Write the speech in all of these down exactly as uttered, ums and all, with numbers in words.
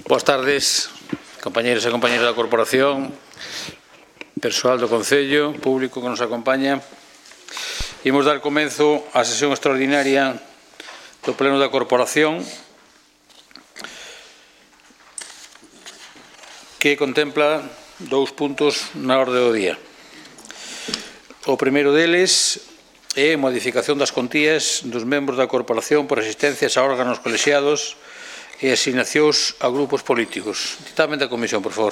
Boas tardes, compañeros e compañeras da Corporación, persoal do Concello, público que nos acompaña. Imos dar comenzo á sesión extraordinaria do Pleno da Corporación, que contempla dous puntos na orde do día. O primeiro deles é a modificación das contías dos membros da Corporación por asistencias a órganos colexiados e asignacións a grupos políticos. Ditame da Comisión, por favor.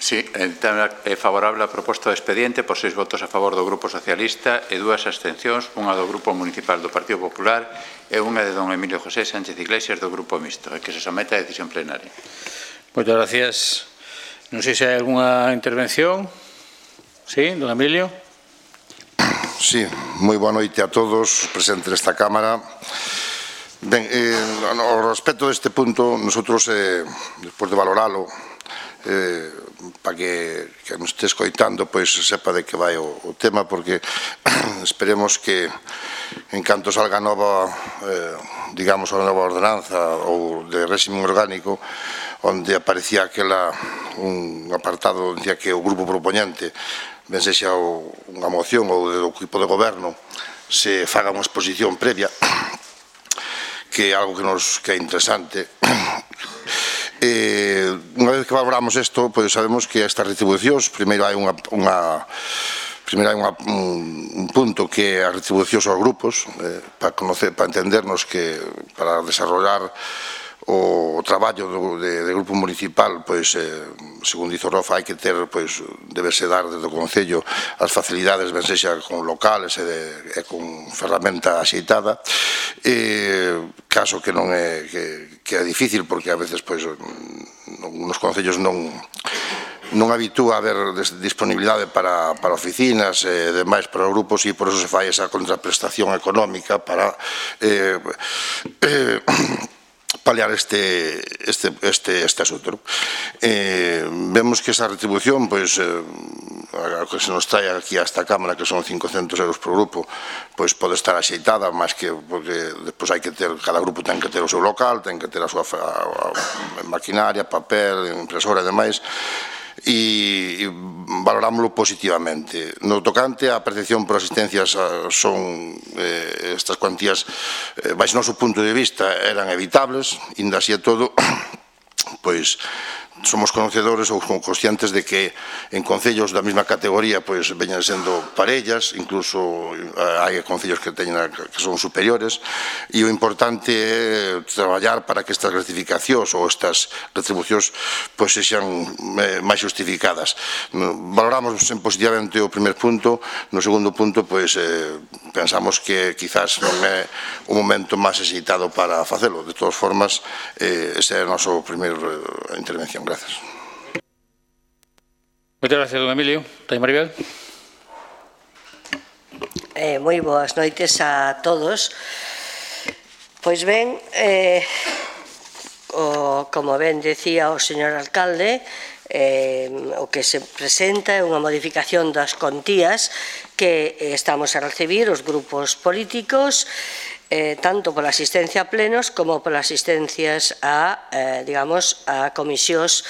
Sí, é favorable a proposta de expediente por seis votos a favor do Grupo Socialista e dúas abstencións, unha do Grupo Municipal do Partido Popular e unha de don Emilio José Sánchez Iglesias do Grupo Mixto, e que se somete a decisión plenaria. Moitas gracias. Non sei se hai algunha intervención. Sí, don Emilio. Sí, moi boa noite a todos presentes nesta Cámara. Ben, eh, ao respecto deste punto, nosotros, eh, despois de valoralo, eh, para que, que nos este escoitando, pois sepa de que vai o, o tema, porque esperemos que en canto salga nova, eh, digamos, a nova ordenanza ou de réxime orgánico, onde aparecía aquela, un apartado, dicía que o grupo propoñente, ben sexa unha moción ou do equipo de goberno, se faga unha exposición previa, que é algo que nos que é interesante. Eh, unha vez que valoramos isto, pois sabemos que estas retribucións, primeiro hai unha, unha primeiro hai unha, un, un punto que é a retribucións aos grupos, eh, para conocer, para entendernos que para desarrollar o traballo do, de, de grupo municipal, pois, eh, segundo dice o Rofa, hai que ter, pois, debese dar desde o Concello as facilidades, ben sexa con locales e, de, e con ferramenta axeitada, e, caso que non é, que, que é difícil, porque a veces, pois, nos concellos non non habitúa a haber disponibilidade para, para oficinas e demais para os grupos, e por eso se fai esa contraprestación económica para eh, eh, paliar este, este, este, este asunto. Eh, vemos que esa retribución, pois, eh, a que se nos trae aquí a esta Cámara, que son cincocentos euros por grupo, pois pode estar axeitada, máis que, porque despois hai que ter, cada grupo ten que ter o seu local, ten que ter a súa a, a maquinaria, papel, impresora e demais, e, e valorámoslo positivamente. No tocante a percepción por asistencias son eh, estas cuantías, eh, baixo noso punto de vista, eran evitables, inda así e todo, pois somos conocedores ou conscientes de que en concellos da mesma categoría pois veñan sendo parellas, incluso hai concellos que teñen que son superiores, e o importante é traballar para que estas gratificacións ou estas retribucións pois sexan máis justificadas. Valoramos en positivamente o primer punto. No segundo punto, pois eh, pensamos que quizás non é o momento máis axeitado para facelo. De todas formas, eh, esa é a nosa primeira intervención. Gracias. Moitas gracias, don Emilio. Tai Maribel. Eh, moi boas noites a todos. Pois ben, eh, o, como ben decía o señor alcalde, eh, o que se presenta é unha modificación das contías que estamos a recibir os grupos políticos, eh, tanto pola asistencia a plenos como polas asistencias a, eh, digamos, a comisións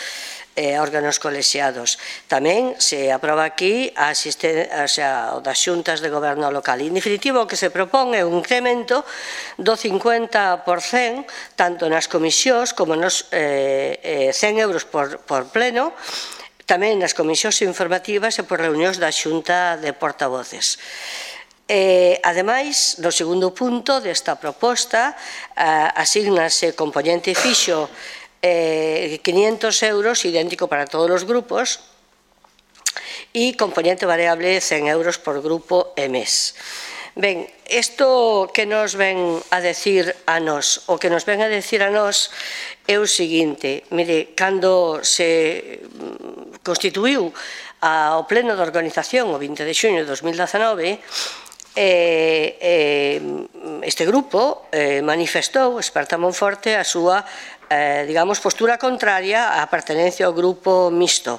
e órganos colexiados. Tamén se aproba aquí a o sea, das xuntas de goberno local. En definitivo, o que se propón é un incremento do cincuenta por cento tanto nas comisións como nos eh, eh, cen euros por, por pleno, tamén nas comisións informativas e por reunións da xunta de portavoces. Eh, ademais, no segundo punto desta proposta, eh, asignase componente fixo eh, quinientos euros, idéntico para todos os grupos, e componente variable cen euros por grupo e mes. Ben, isto que nos ven a decir a nós, o que nos ven a decir a nós é o seguinte: mire, cando se constituíu o pleno de organización o vinte de xuño de dos mil dezenove, eh, eh, este grupo eh, manifestou, Esperta Monforte, a súa, eh, digamos, postura contraria á pertenencia ao grupo mixto.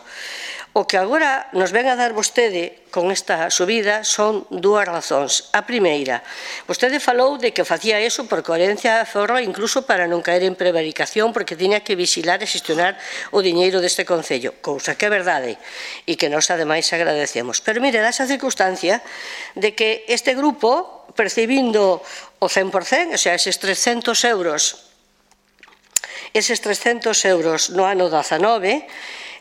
O que agora nos ven a dar vostede con esta subida son dúas razóns. A primeira, vostede falou de que facía eso por coherencia de aforro, incluso para non caer en prevaricación, porque tiña que vigilar e xestionar o diñeiro deste Concello, cousa que é verdade e que nós ademais agradecemos. Pero mire, dá esa circunstancia de que este grupo, percibindo o cen por cen, o sea, eses trescentos euros, eses trescentos euros no ano dezanove,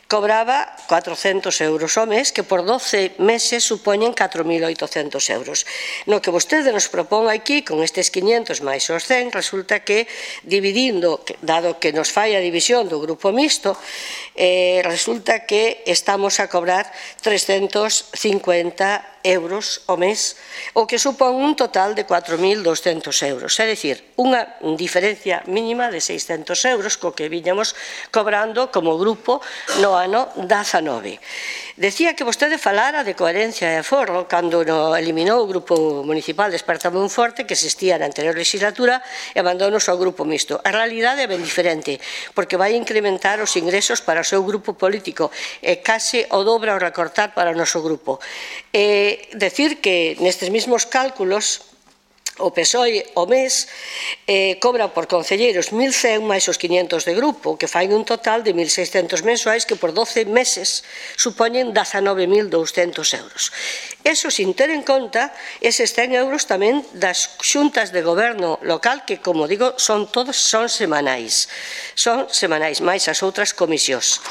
cobraba cuatrocentos euros ao mes, que por doce meses supoñen catro mil oitocentos euros. No que vostede nos propón aquí, con estes quinhentos máis os cen, resulta que, dividindo, dado que nos fai a división do grupo mixto, eh, resulta que estamos a cobrar trescentos cincuenta euros ao mes, o que supón un total de catro mil doscentos euros, é dicir, unha diferencia mínima de seiscentos euros co que viñamos cobrando como grupo no ano dezanove. Decía que vostede falara de coherencia e aforro cando no eliminou o Grupo Municipal Despertame un Forte, que existía na anterior legislatura, e abandonos ao Grupo Mixto. A realidade é ben diferente, porque vai incrementar os ingresos para o seu grupo político e case o dobra ao recortar para o noso grupo. E decir que nestes mesmos cálculos o P S O E o mes eh, cobra por concelleiros mil cen máis os quinhentos de grupo, que fai un total de mil seiscentos mensuais, que por doce meses supoñen dezanove mil douscentos euros. Eso sin ter en conta eses cen euros tamén das xuntas de goberno local, que, como digo, son todos son semanais. Son semanais, máis as outras comisións.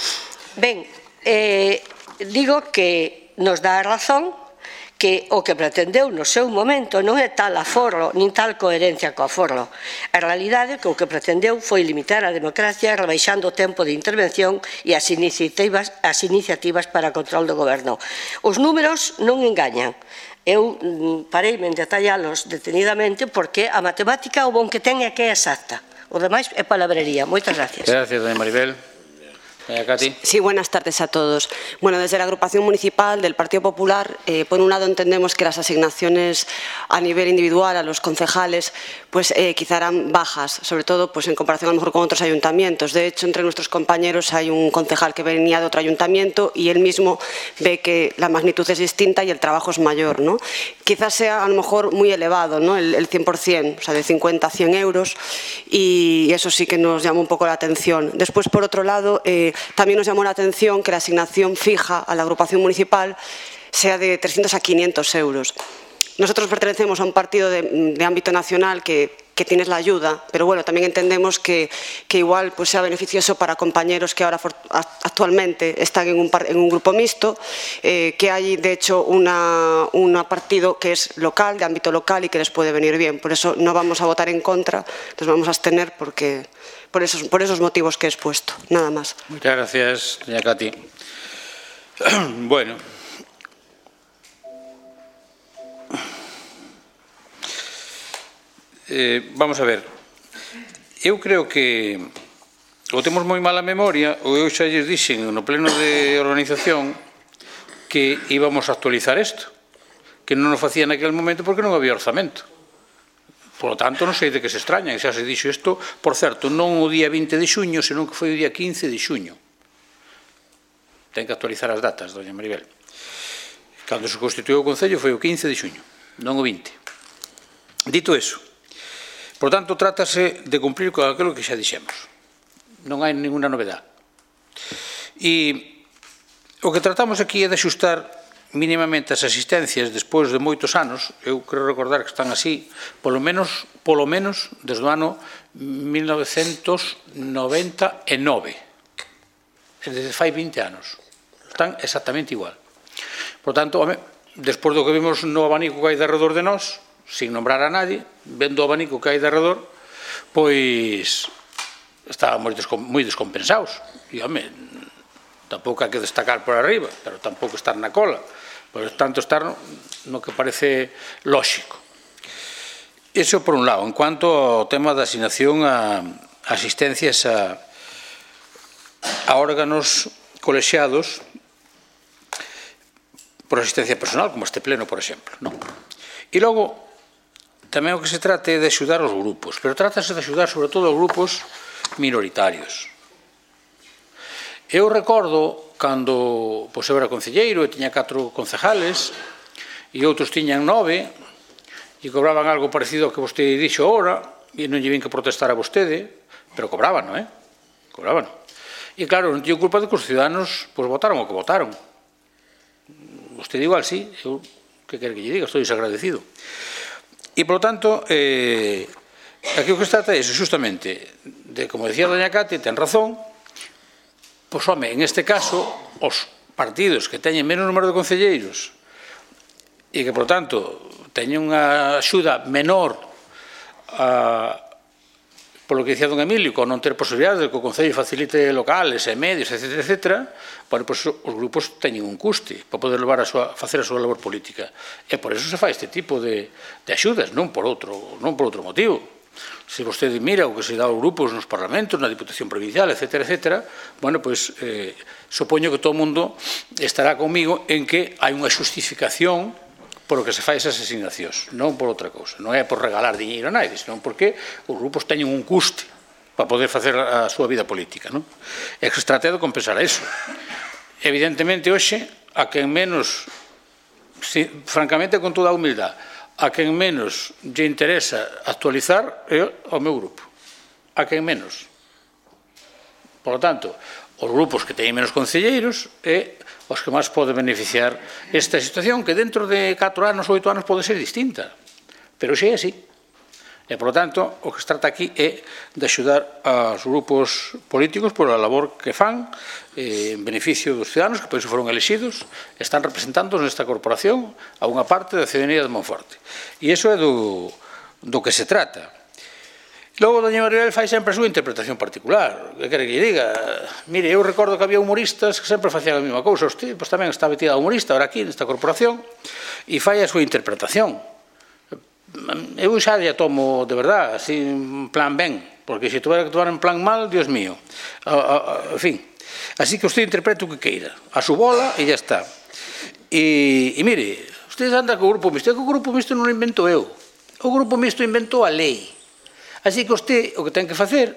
Ben, eh, digo que nos dá a razón que o que pretendeu no seu momento non é tal aforro, nin tal coherencia co aforro. A realidade é que o que pretendeu foi limitar a democracia rebaixando o tempo de intervención e as iniciativas, as iniciativas para control do goberno. Os números non engañan. Eu pareime en detallalos detenidamente porque a matemática o bon que ten é que é exacta. O demais é palabrería. Moitas gracias. Gracias, doña Maribel. Cati. Sí, buenas tardes a todos. Bueno, desde la agrupación municipal del Partido Popular, eh, por un lado entendemos que las asignaciones a nivel individual a los concejales pues eh, quizá eran bajas, sobre todo pues en comparación a lo mejor con otros ayuntamientos. De hecho, entre nuestros compañeros hay un concejal que venía de otro ayuntamiento y él mismo ve que la magnitud es distinta y el trabajo es mayor, ¿no? Quizás sea a lo mejor muy elevado, ¿no? El, el cien por cien, o sea, de cincuenta a cien euros, y eso sí que nos llama un poco la atención. Después, por otro lado, eh, también nos llamó la atención que la asignación fija a la agrupación municipal sea de trescientos a quinientos euros. Nosotros pertenecemos a un partido de, de ámbito nacional que, que tiene la ayuda, pero bueno, también entendemos que, que igual pues, sea beneficioso para compañeros que ahora actualmente están en un, en un grupo mixto, eh, que hay de hecho una, una partido que es local, de ámbito local y que les puede venir bien. Por eso no vamos a votar en contra, nos vamos a abstener porque, por, esos, por esos motivos que he expuesto. Nada más. Muchas gracias, doña Cati. Bueno. Eh, vamos a ver, eu creo que o temos moi mala memoria, ou eu xa lles dixen no pleno de organización que íbamos a actualizar isto, que non nos facía naquele momento porque non había orzamento. Por lo tanto, non sei de que se extrañan, xa se dixo isto, por certo, non o día vinte de xuño, senón que foi o día quince de xuño. Ten que actualizar as datas, doña Maribel. Cando se constituiu o Concello foi o quince de xuño, non o vinte. Dito eso, por tanto, trátase de cumplir con aquilo que xa dixemos. Non hai ninguna novedade. E o que tratamos aquí é de axustar mínimamente as asistencias despois de moitos anos, eu creo recordar que están así, polo menos, polo menos desde o ano mil novecentos noventa e nove. Desde fai vinte anos. Están exactamente igual. Por tanto, despois do que vimos no abanico que hai de redor de nós, sin nombrar a nadie, vendo o abanico que hai de arredor, pois estábamos moi descompensados. E, home, tampouco hai que destacar por arriba, pero tampouco estar na cola. Por tanto, estar no que parece lóxico. Iso por un lado. En cuanto ao tema da asignación a asistencias a, a órganos colexiados por asistencia personal, como este pleno, por exemplo. Non? E logo, tamén o que se trata é de axudar os grupos, pero trátase de axudar sobre todo os grupos minoritarios. Eu recordo cando pois, eu era concelleiro e tiña catro concejales e outros tiñan nove e cobraban algo parecido ao que vostede dixo ahora e non lle vin que protestar a vostede, pero cobraban, non é? Cobraban. E claro, non teño culpa de que os ciudadanos pois, votaron o que votaron. Vostede igual, sí, eu que quere que lle diga, estou desagradecido. E, polo tanto, eh, aquí o que se trata é, justamente, de, como decía doña Cate, ten razón, pois, home, en este caso, os partidos que teñen menos número de concelleiros e que, por tanto, teñen unha axuda menor a, polo que dicía don Emilio, con non ter posibilidades de que o Concello facilite locales e medios, etcétera, etcétera, bueno, pois os grupos teñen un custe para poder levar a súa, facer a súa labor política. E por eso se fai este tipo de, de axudas, non por outro, non por outro motivo. Se vostede mira o que se dá aos grupos nos parlamentos, na Diputación Provincial, etcétera, etcétera, bueno, pois eh, supoño que todo o mundo estará comigo en que hai unha xustificación por o que se fai esas asignacións, non por outra cousa. Non é por regalar diñeiro a nadie, senón porque os grupos teñen un custe para poder facer a súa vida política, non? E que se trata de compensar a eso. Evidentemente, hoxe, a quen menos, si, francamente, con toda a humildade, a quen menos lle interesa actualizar é o meu grupo. A quen menos. Por lo tanto, os grupos que teñen menos concelleiros é os que máis poden beneficiar esta situación que dentro de catro anos, oito anos pode ser distinta. Pero xe é así. E, por lo tanto, o que se trata aquí é de axudar aos grupos políticos por a labor que fan en beneficio dos ciudadanos que por iso foron elexidos, están representando nesta corporación a unha parte da ciudadanía de Monforte. E iso é do, do que se trata. Logo, doña Maribel fai sempre a súa interpretación particular. Que quere que lle diga? Mire, eu recordo que había humoristas que sempre facían a mesma cousa. Usted pois, tamén está metida a humorista ahora aquí nesta corporación e fai a súa interpretación. Eu xa lle tomo de verdade, así, en plan ben, porque se tuvera que tomar en plan mal, Dios mío. En fin, así que usted interprete o que queira, a su bola e ya está. E, e mire, usted anda co grupo mixto, que o grupo mixto non o invento eu, o grupo mixto inventou a lei. Así que usted o que ten que facer,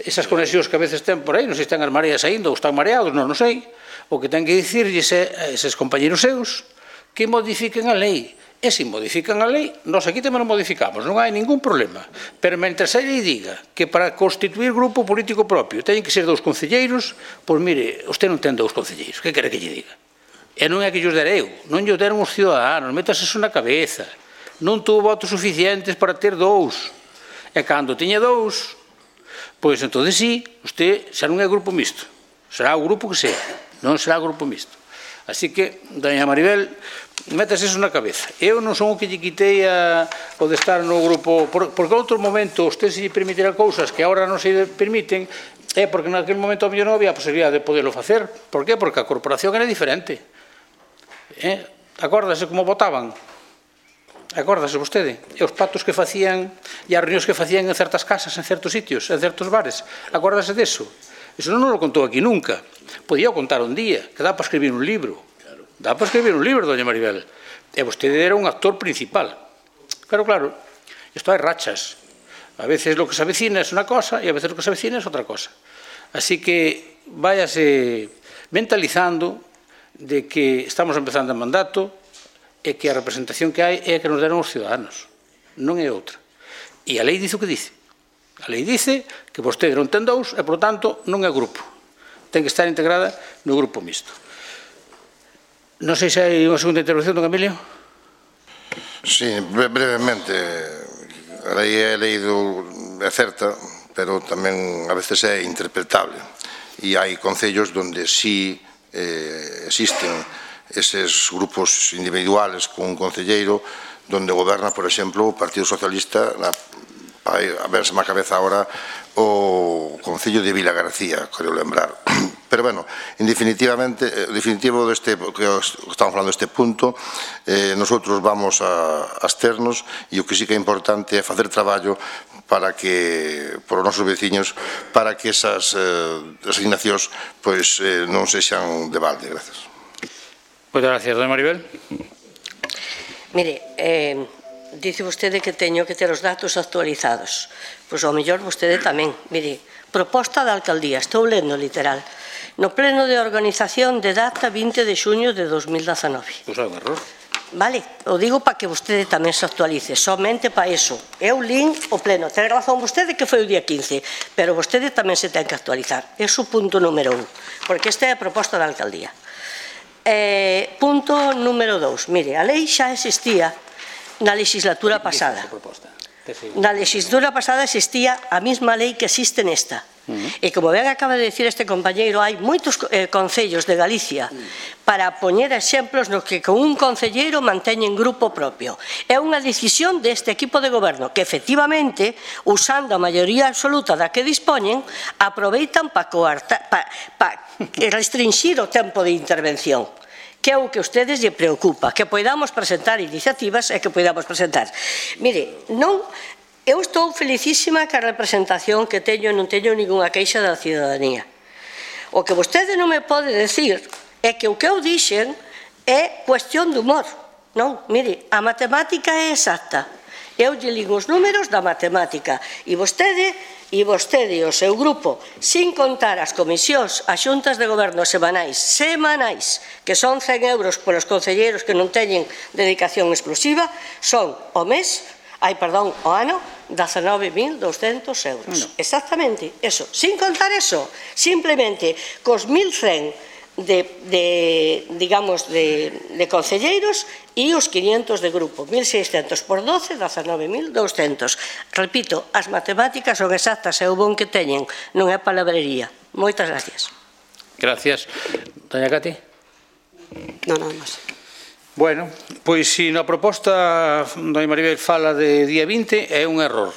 esas conexións que a veces ten por aí, non sei se están as mareas saindo ou están mareados, non, non sei, o que ten que dicirlles a eses compañeros seus que modifiquen a lei. E se modifican a lei, nós aquí tamén non modificamos, non hai ningún problema. Pero mentres a lei diga que para constituir grupo político propio teñen que ser dous concelleiros, pois mire, usted non ten dous concelleiros, que quere que lle diga? E non é que llos dera eu, non llos deron os ciudadanos, métase eso na cabeza. Non tuvo votos suficientes para ter dous. E cando tiña dous, pois entón sí, usted xa non é grupo mixto, será o grupo que sea, non será grupo mixto. Así que, doña Maribel, métase eso na cabeza. Eu non son o que lle quitei a, o de estar no grupo, por, porque outro momento usted se lle permitira cousas que agora non se permiten, é porque naquele momento a mellor non había posibilidade de poderlo facer. Por qué? Porque a corporación era diferente. Eh? Acórdase como votaban? Acórdase vostede? E os pactos que facían e as reunións que facían en certas casas, en certos sitios, en certos bares. Acórdase deso? Eso non nos lo contou aquí nunca. Podía contar un día, que dá para escribir un libro. Dá para escribir un libro, doña Maribel. E vostede era un actor principal. Claro, claro, isto hai rachas. A veces lo que se avecina es unha cosa e a veces lo que se avecina es outra cosa. Así que váyase mentalizando de que estamos empezando o mandato e que a representación que hai é a que nos deron os ciudadanos. Non é outra. E a lei dice o que dice. A lei dice que vostede non ten dous e, por tanto, non é grupo. Ten que estar integrada no grupo mixto. Non sei se hai unha segunda intervención, don Emilio. Sí, brevemente. A lei é leído, é certa, pero tamén a veces é interpretable. E hai concellos onde sí eh, existen eses grupos individuales con un concelleiro donde goberna, por exemplo, o Partido Socialista na a verse má cabeza agora o Concello de Vila García, quero lembrar. Pero, bueno, en definitivamente, en definitivo deste, que estamos falando deste punto, eh, nosotros vamos a absternos e o que sí que é importante é facer traballo para que, por os nosos veciños, para que esas eh, asignacións pois, eh, non sexan de balde. Gracias. Moitas gracias, doña Maribel. Mire, eh, dice vostede que teño que ter os datos actualizados. Pois ao mellor vostede tamén. Mire, proposta da alcaldía, estou lendo literal. no pleno de organización de data vinte de xuño de dos mil dezanove. Pois é un error. Vale, o digo para que vostede tamén se actualice, somente para iso. Eu lín o pleno, ten razón vostede que foi o día quince, pero vostede tamén se ten que actualizar. É o punto número un, porque esta é a proposta da alcaldía. Eh, punto número dous, mire, a lei xa existía na legislatura pasada. Na legislatura pasada existía a mesma lei que existe nesta. E como ben acaba de decir este compañeiro, hai moitos eh, concellos de Galicia para poñer exemplos nos que con un concelleiro manteñen grupo propio. É unha decisión deste equipo de goberno que efectivamente, usando a maioría absoluta da que dispoñen, aproveitan para pa, pa restringir o tempo de intervención, que é o que a ustedes lle preocupa, que podamos presentar iniciativas e que podamos presentar. Mire, non... Eu estou felicísima ca representación que teño e non teño ninguna queixa da cidadanía. O que vostede non me pode decir é que o que eu dixen é cuestión de humor. Non, mire, a matemática é exacta. Eu lle ligo os números da matemática e vostede e vostede e o seu grupo, sin contar as comisións, as xuntas de goberno semanais, semanais, que son cen euros polos concelleiros que non teñen dedicación exclusiva, son o mes, ai, perdón, o ano, dezanove mil douscentos euros. Exactamente, eso. Sin contar eso, simplemente cos mil cen de, de digamos, de, de concelleiros e os quinientos de grupo. mil seiscentos por doce, dezanove mil douscentos. Repito, as matemáticas son exactas e o bon que teñen, non é palabrería. Moitas gracias. Gracias. Doña Cati? Non, nada máis. Bueno, pois se na proposta doña Maribel fala de día vinte é un error,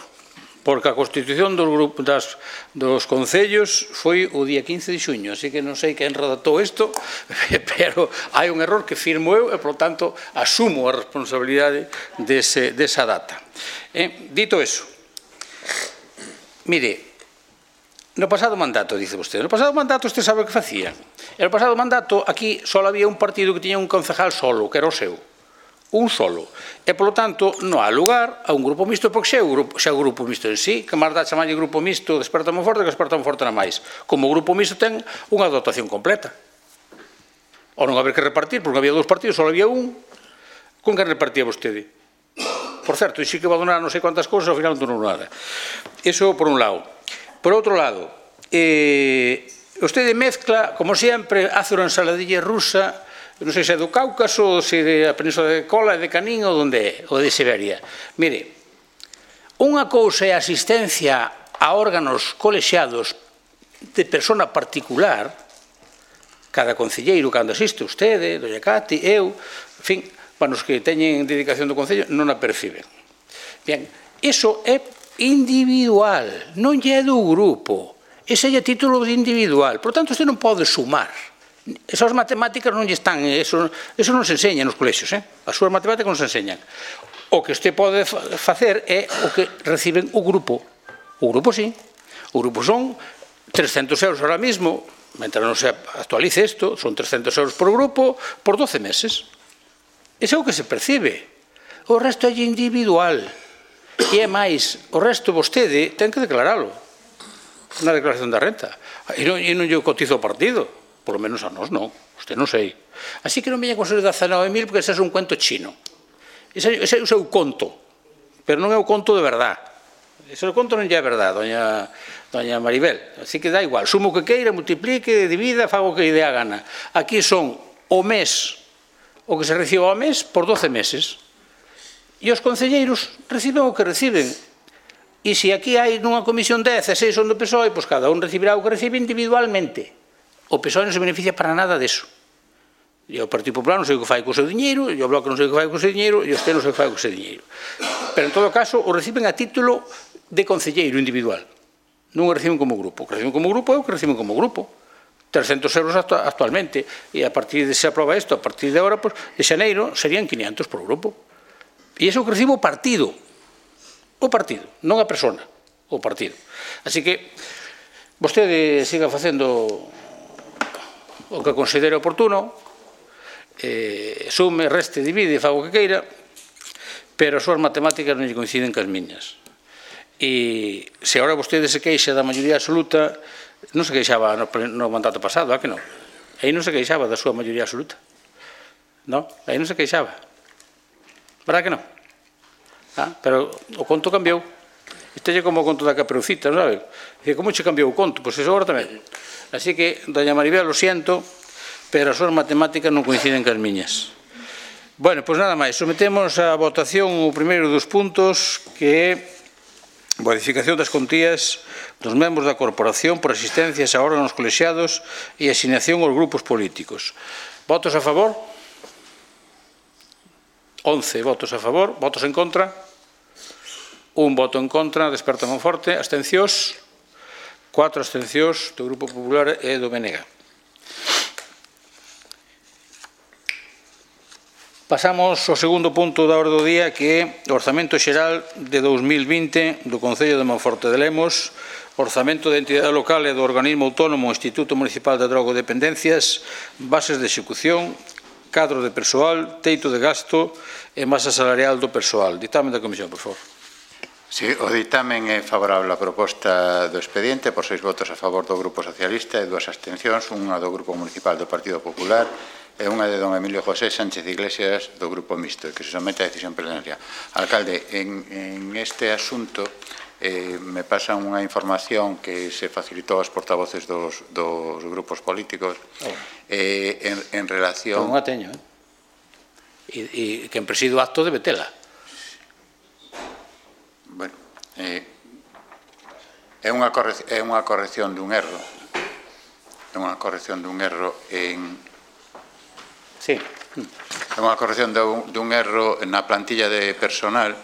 porque a constitución dos, grupos, das, dos concellos foi o día quince de xuño, así que non sei quen redactou isto, pero hai un error que firmo eu e, por tanto, asumo a responsabilidade dese, desa data. Eh, dito eso, mire, no pasado mandato, dice vostede, no pasado mandato usted sabe o que facían. No pasado mandato aquí só había un partido que tiña un concejal solo, que era o seu. Un solo. E, polo tanto, non há lugar a un grupo mixto, porque xa é o grupo, xa é o grupo mixto en sí, que máis dá chamarlle grupo mixto Desperta Monforte que Desperta Monforte na máis. Como o grupo mixto ten unha dotación completa. Ou non haber que repartir, porque había dous partidos, só había un. Con que repartía vostede? Por certo, e sí que va a donar non sei quantas cousas, ao final non donou nada. Iso por un lado. Por outro lado, eh, vostede mezcla, como sempre, hace unha ensaladilla rusa, non sei se é do Cáucaso, se é da Península de Kola, de Canín ou onde é, ou de Siberia. Mire, unha cousa é a asistencia a órganos colexiados de persona particular, cada concelleiro, cando asiste vostede, doña Cati, eu, en fin, para os que teñen dedicación do concello, non a perciben. Bien, iso é individual, non lle é do grupo. Ese é título de individual. Por tanto, usted non pode sumar. Esas matemáticas non lle están, eso, eso non se enseña nos colexios, eh? As súas matemáticas non se enseñan. O que usted pode facer é o que reciben o grupo. O grupo sí. O grupo son trescentos euros ahora mismo, mentre non se actualice isto, son trescentos euros por grupo por doce meses. Ese é o que se percibe. O resto é individual. E é máis, o resto vostede ten que declaralo na declaración da renta. E non, e non lle cotizo o partido, por lo menos a nós non, usted non sei. Así que non veña con ser dezanove mil porque ese é un cuento chino. Ese, ese é o seu conto, pero non é o conto de verdad. Ese o conto non lle é verdad, doña, doña Maribel. Así que dá igual, sumo o que queira, multiplique, divida, fago o que lle dé a gana. Aquí son o mes, o que se recibe ao mes por doce meses. E os concelleiros reciben o que reciben. E se aquí hai nunha comisión dez e seis son do P S O E, pois cada un recibirá o que recibe individualmente. O P S O E non se beneficia para nada deso. E o Partido Popular non sei o que fai co seu diñeiro, e o Bloque non sei o que fai co seu diñeiro, e o Estado non sei o que fai co seu diñeiro. Pero en todo caso o reciben a título de concelleiro individual. Non o reciben como grupo. O que reciben como grupo é o que reciben como grupo. trescentos euros actualmente. E a partir de se aproba isto, a partir de agora, pois, de xaneiro, serían quinientos por grupo. E iso que recibe o partido. O partido, non a persona, o partido. Así que vostede siga facendo o que considere oportuno, eh, sume, reste, divide, faga o que queira, pero as súas matemáticas non lle coinciden cas miñas. E se agora vostede se queixa da maioría absoluta, non se queixaba no, no mandato pasado, a que non? Aí non se queixaba da súa maioría absoluta. Non? Aí non se queixaba. Verdad que non? Ah, pero o conto cambiou. Este é como o conto da Caperucita, non sabe? Dice, como che cambiou o conto? Pois iso agora tamén. Así que, doña Maribel, lo siento, pero as súas matemáticas non coinciden cas miñas. Bueno, pois nada máis. Sometemos a votación o primeiro dos puntos, que é modificación das contías dos membros da corporación por asistencias a órganos colexiados e asignación aos grupos políticos. Votos a favor? once votos a favor. Votos en contra? Un voto en contra. Desperta Monforte. Abstencións? Cuatro abstencións do Grupo Popular e do B N G. Pasamos ao segundo punto da orde do día, que é o Orzamento Xeral de dous mil vinte do Concello de Monforte de Lemos, Orzamento de entidade local e do organismo autónomo Instituto Municipal de Drogodependencias, bases de execución, cadro de persoal, teito de gasto e masa salarial do persoal. Dictamen da Comisión, por favor. Sí, o dictamen é favorable á proposta do expediente por seis votos a favor do Grupo Socialista e dúas abstencións, unha do Grupo Municipal do Partido Popular e unha de don Emilio José Sánchez Iglesias do Grupo Mixto, que se somete a decisión plenaria. Alcalde, en, en este asunto eh, me pasan unha información que se facilitou aos portavoces dos, dos grupos políticos oh. eh, en, en relación... Pero non a teño, eh? E, e quen preside o acto debe tela. Bueno, eh, é unha corrección, é unha corrección dun erro. É unha corrección dun erro en... Sí. É unha corrección dun, dun erro na plantilla de personal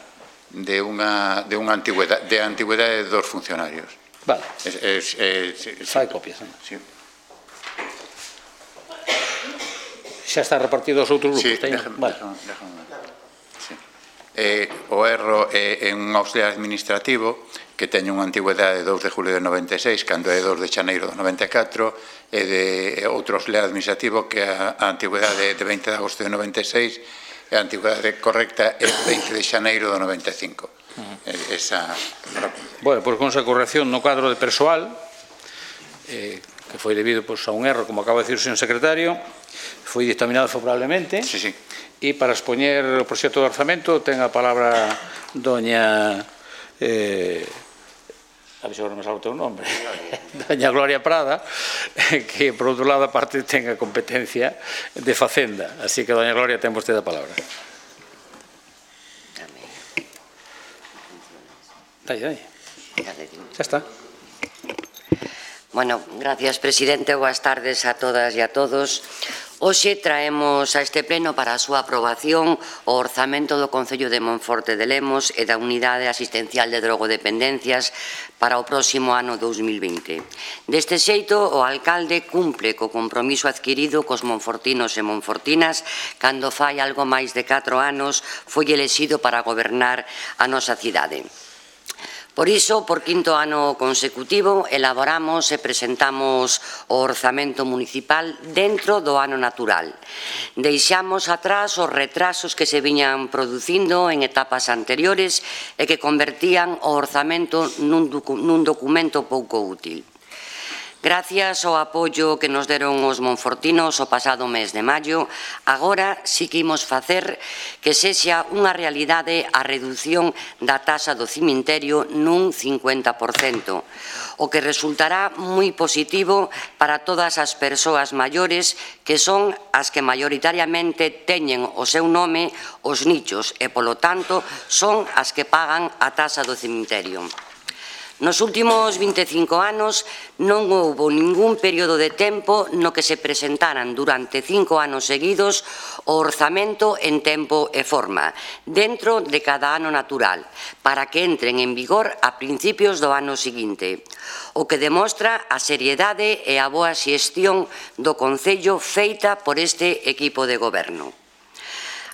de unha, de unha antigüedade, de antigüedade dos funcionarios. Vale. Es, es, es, es, Fai copias, non? Sí. Xa está repartido aos outros grupos, Sí, teño? déjame, Vale. déjame, déjame. Sí. Eh, o erro é en un auxiliar administrativo que teñe unha antigüedade de dous de julio de noventa e seis, cando é dous de xaneiro de noventa e catro, e de outro auxiliar administrativo que a, a antigüedade de veinte de agosto de noventa e seis e a antigüedade correcta é veinte de xaneiro de noventa e cinco. Uh-huh. Esa... Bueno, pois con esa corrección no cadro de persoal, eh, que foi debido pois, a un erro, como acaba de decir o señor secretario, foi dictaminado favorablemente. Sí, sí. E para expoñer o proxecto de orzamento ten a palabra doña... Eh, a ver se agora me salvo o teu nombre, doña Gloria Prada, que por outro lado aparte ten a competencia de Facenda, así que doña Gloria ten vostede a palabra. Dalle, dalle. Xa está. Bueno, gracias, presidente. Boas tardes a todas e a todos. Hoxe traemos a este pleno para a súa aprobación o orzamento do Concello de Monforte de Lemos e da Unidade Asistencial de Drogodependencias para o próximo ano dous mil vinte. Deste xeito, o alcalde cumple co compromiso adquirido cos monfortinos e monfortinas cando fai algo máis de catro anos foi elexido para gobernar a nosa cidade. Por iso, por quinto ano consecutivo, elaboramos e presentamos o orzamento municipal dentro do ano natural. Deixamos atrás os retrasos que se viñan producindo en etapas anteriores e que convertían o orzamento nun, docu nun documento pouco útil. Gracias ao apoio que nos deron os monfortinos o pasado mes de maio, agora sí que imos facer que sexa unha realidade a redución da taxa do cemiterio nun cincuenta por cento, o que resultará moi positivo para todas as persoas maiores que son as que maioritariamente teñen o seu nome os nichos e, polo tanto, son as que pagan a taxa do cemiterio. Nos últimos vinte e cinco anos non houbo ningún período de tempo no que se presentaran durante cinco anos seguidos o orzamento en tempo e forma, dentro de cada ano natural, para que entren en vigor a principios do ano seguinte, o que demostra a seriedade e a boa xestión do Concello feita por este equipo de goberno.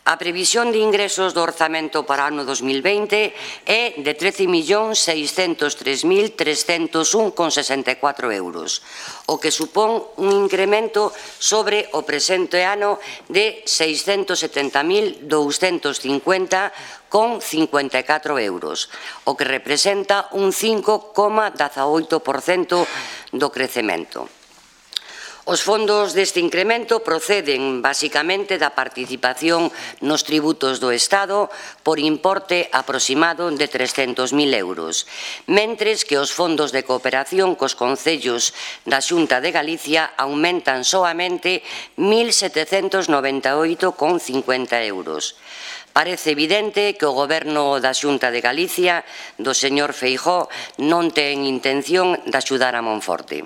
A previsión de ingresos do orzamento para o ano dos mil vinte é de trece millóns seiscentos tres mil trescentos un con sesenta e catro euros, o que supón un incremento sobre o presente ano de seiscentos setenta mil douscentos cincuenta con cincuenta e catro euros, o que representa un cinco coma dezaoito por cento do crecemento. Os fondos deste incremento proceden basicamente da participación nos tributos do Estado por importe aproximado de trescentos mil euros, mentres que os fondos de cooperación cos concellos da Xunta de Galicia aumentan soamente mil setecentos noventa e oito coma cincuenta euros. Parece evidente que o Goberno da Xunta de Galicia, do señor Feijóo, non ten intención de axudar a Monforte.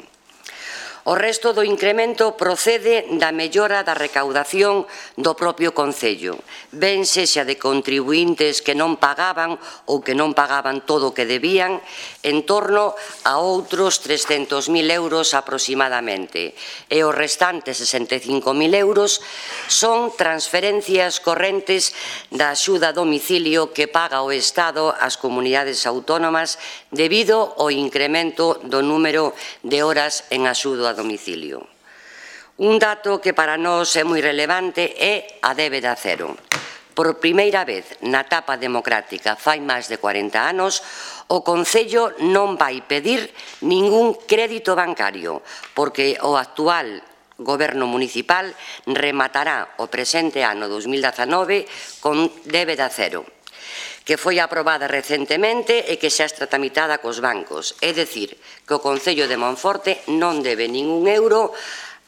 O resto do incremento procede da mellora da recaudación do propio Concello, ben sexa de contribuíntes que non pagaban ou que non pagaban todo o que debían, en torno a outros trescentos mil euros aproximadamente, e os restantes sesenta e cinco mil euros son transferencias correntes da axuda a domicilio que paga o Estado ás comunidades autónomas debido ao incremento do número de horas en axuda a domicilio. Un dato que para nós é moi relevante é a débeda cero. Por primeira vez na etapa democrática, fai máis de cuarenta anos, o Concello non vai pedir ningún crédito bancario, porque o actual Goberno municipal rematará o presente ano dos mil dezanove con débeda cero, que foi aprobada recentemente e que xa está tramitada cos bancos. É dicir, que o Concello de Monforte non debe ningún euro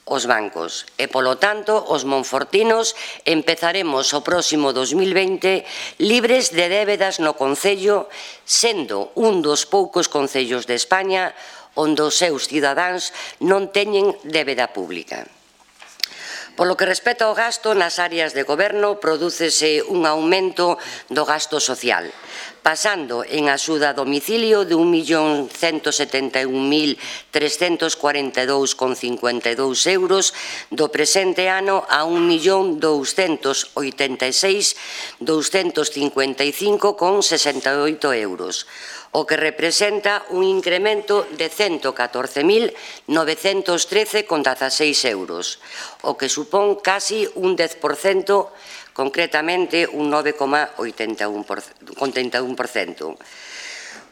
aos bancos e, polo tanto, os monfortinos empezaremos o próximo dos mil vinte libres de débedas no Concello, sendo un dos poucos concellos de España onde os seus cidadáns non teñen débeda pública. Polo que respecta ao gasto nas áreas de goberno, prodúcese un aumento do gasto social, pasando en axuda a domicilio de un millón ciento setenta e un mil trescentos cuarenta e dous coma cincuenta e dous euros do presente ano a un millón douscentos oitenta e seis mil douscentos cincuenta e cinco coma sesenta e oito euros, o que representa un incremento de ciento catorce mil novecentos trece coma dezaseis euros, o que supón casi un dez por cento, concretamente un nove coma oitenta e un por cento.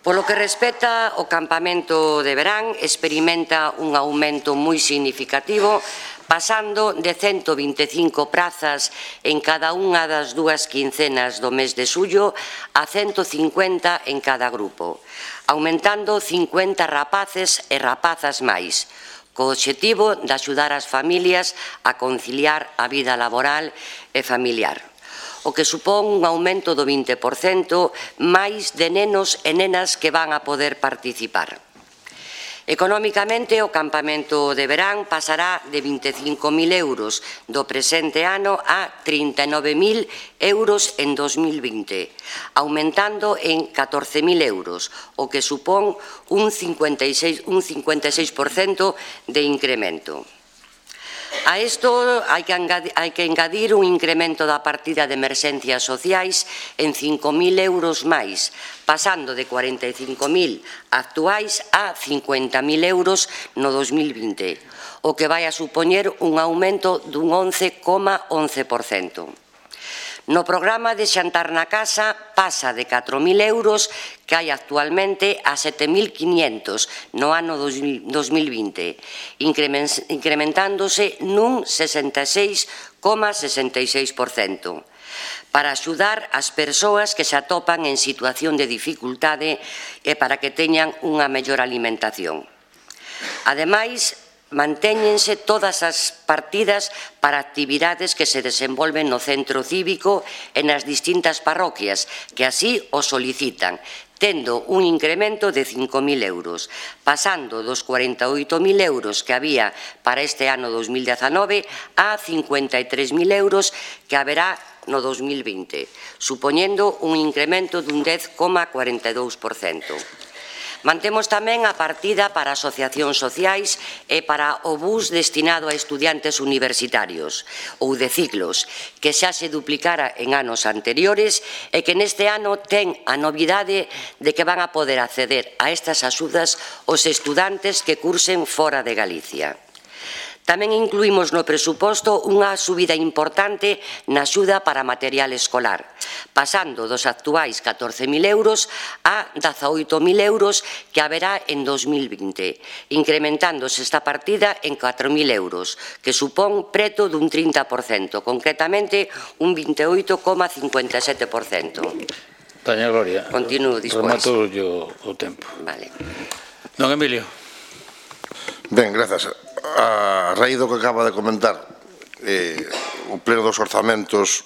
Polo que respecta ao campamento de verán, experimenta un aumento moi significativo, pasando de ciento vinte e cinco prazas en cada unha das dúas quincenas do mes de xullo a ciento cincuenta en cada grupo, aumentando cincuenta rapaces e rapazas máis, co obxectivo de axudar as familias a conciliar a vida laboral e familiar, o que supón un aumento do vinte por cento máis de nenos e nenas que van a poder participar. Económicamente, o campamento de verán pasará de vinte e cinco mil euros do presente ano a trinta e nove mil euros en dos mil vinte, aumentando en catorce mil euros, o que supón un cincuenta e seis por cento de incremento. A isto hai que, hai que engadir un incremento da partida de emerxencias sociais en cinco mil euros máis, pasando de cuarenta e cinco mil actuais a cincuenta mil euros no dos mil vinte, o que vai a supoñer un aumento dun once coma once por cento. No programa de xantar na casa pasa de catro mil euros que hai actualmente a sete mil quinientos no ano dos mil vinte, incrementándose nun sesenta e seis coma sesenta e seis por cento, para axudar as persoas que se atopan en situación de dificultade e para que teñan unha mellor alimentación. Ademais, mantéñense todas as partidas para actividades que se desenvolven no centro cívico e nas distintas parroquias, que así o solicitan, tendo un incremento de cinco mil euros, pasando dos cuarenta e oito mil euros que había para este ano dos mil dezanove a cincuenta e tres mil euros que haberá no dos mil vinte, supoñendo un incremento dun dez coma cuarenta e dous por cento. Mantemos tamén a partida para asociacións sociais e para o bus destinado a estudiantes universitarios ou de ciclos, que xa se duplicara en anos anteriores e que neste ano ten a novidade de que van a poder acceder a estas axudas os estudantes que cursen fora de Galicia. Tamén incluímos no presuposto unha subida importante na axuda para material escolar, pasando dos actuais catorce mil euros a dezaoito mil euros que haberá en dos mil vinte, incrementándose esta partida en catro mil euros, que supón preto dun trinta por cento, concretamente un veintioito coma cincuenta e sete por cento. Doña Gloria, Continuo dispois. remato o tempo. Vale. Don Emilio. Ben, grazas. A raíz do que acaba de comentar, eh, o pleno dos orzamentos,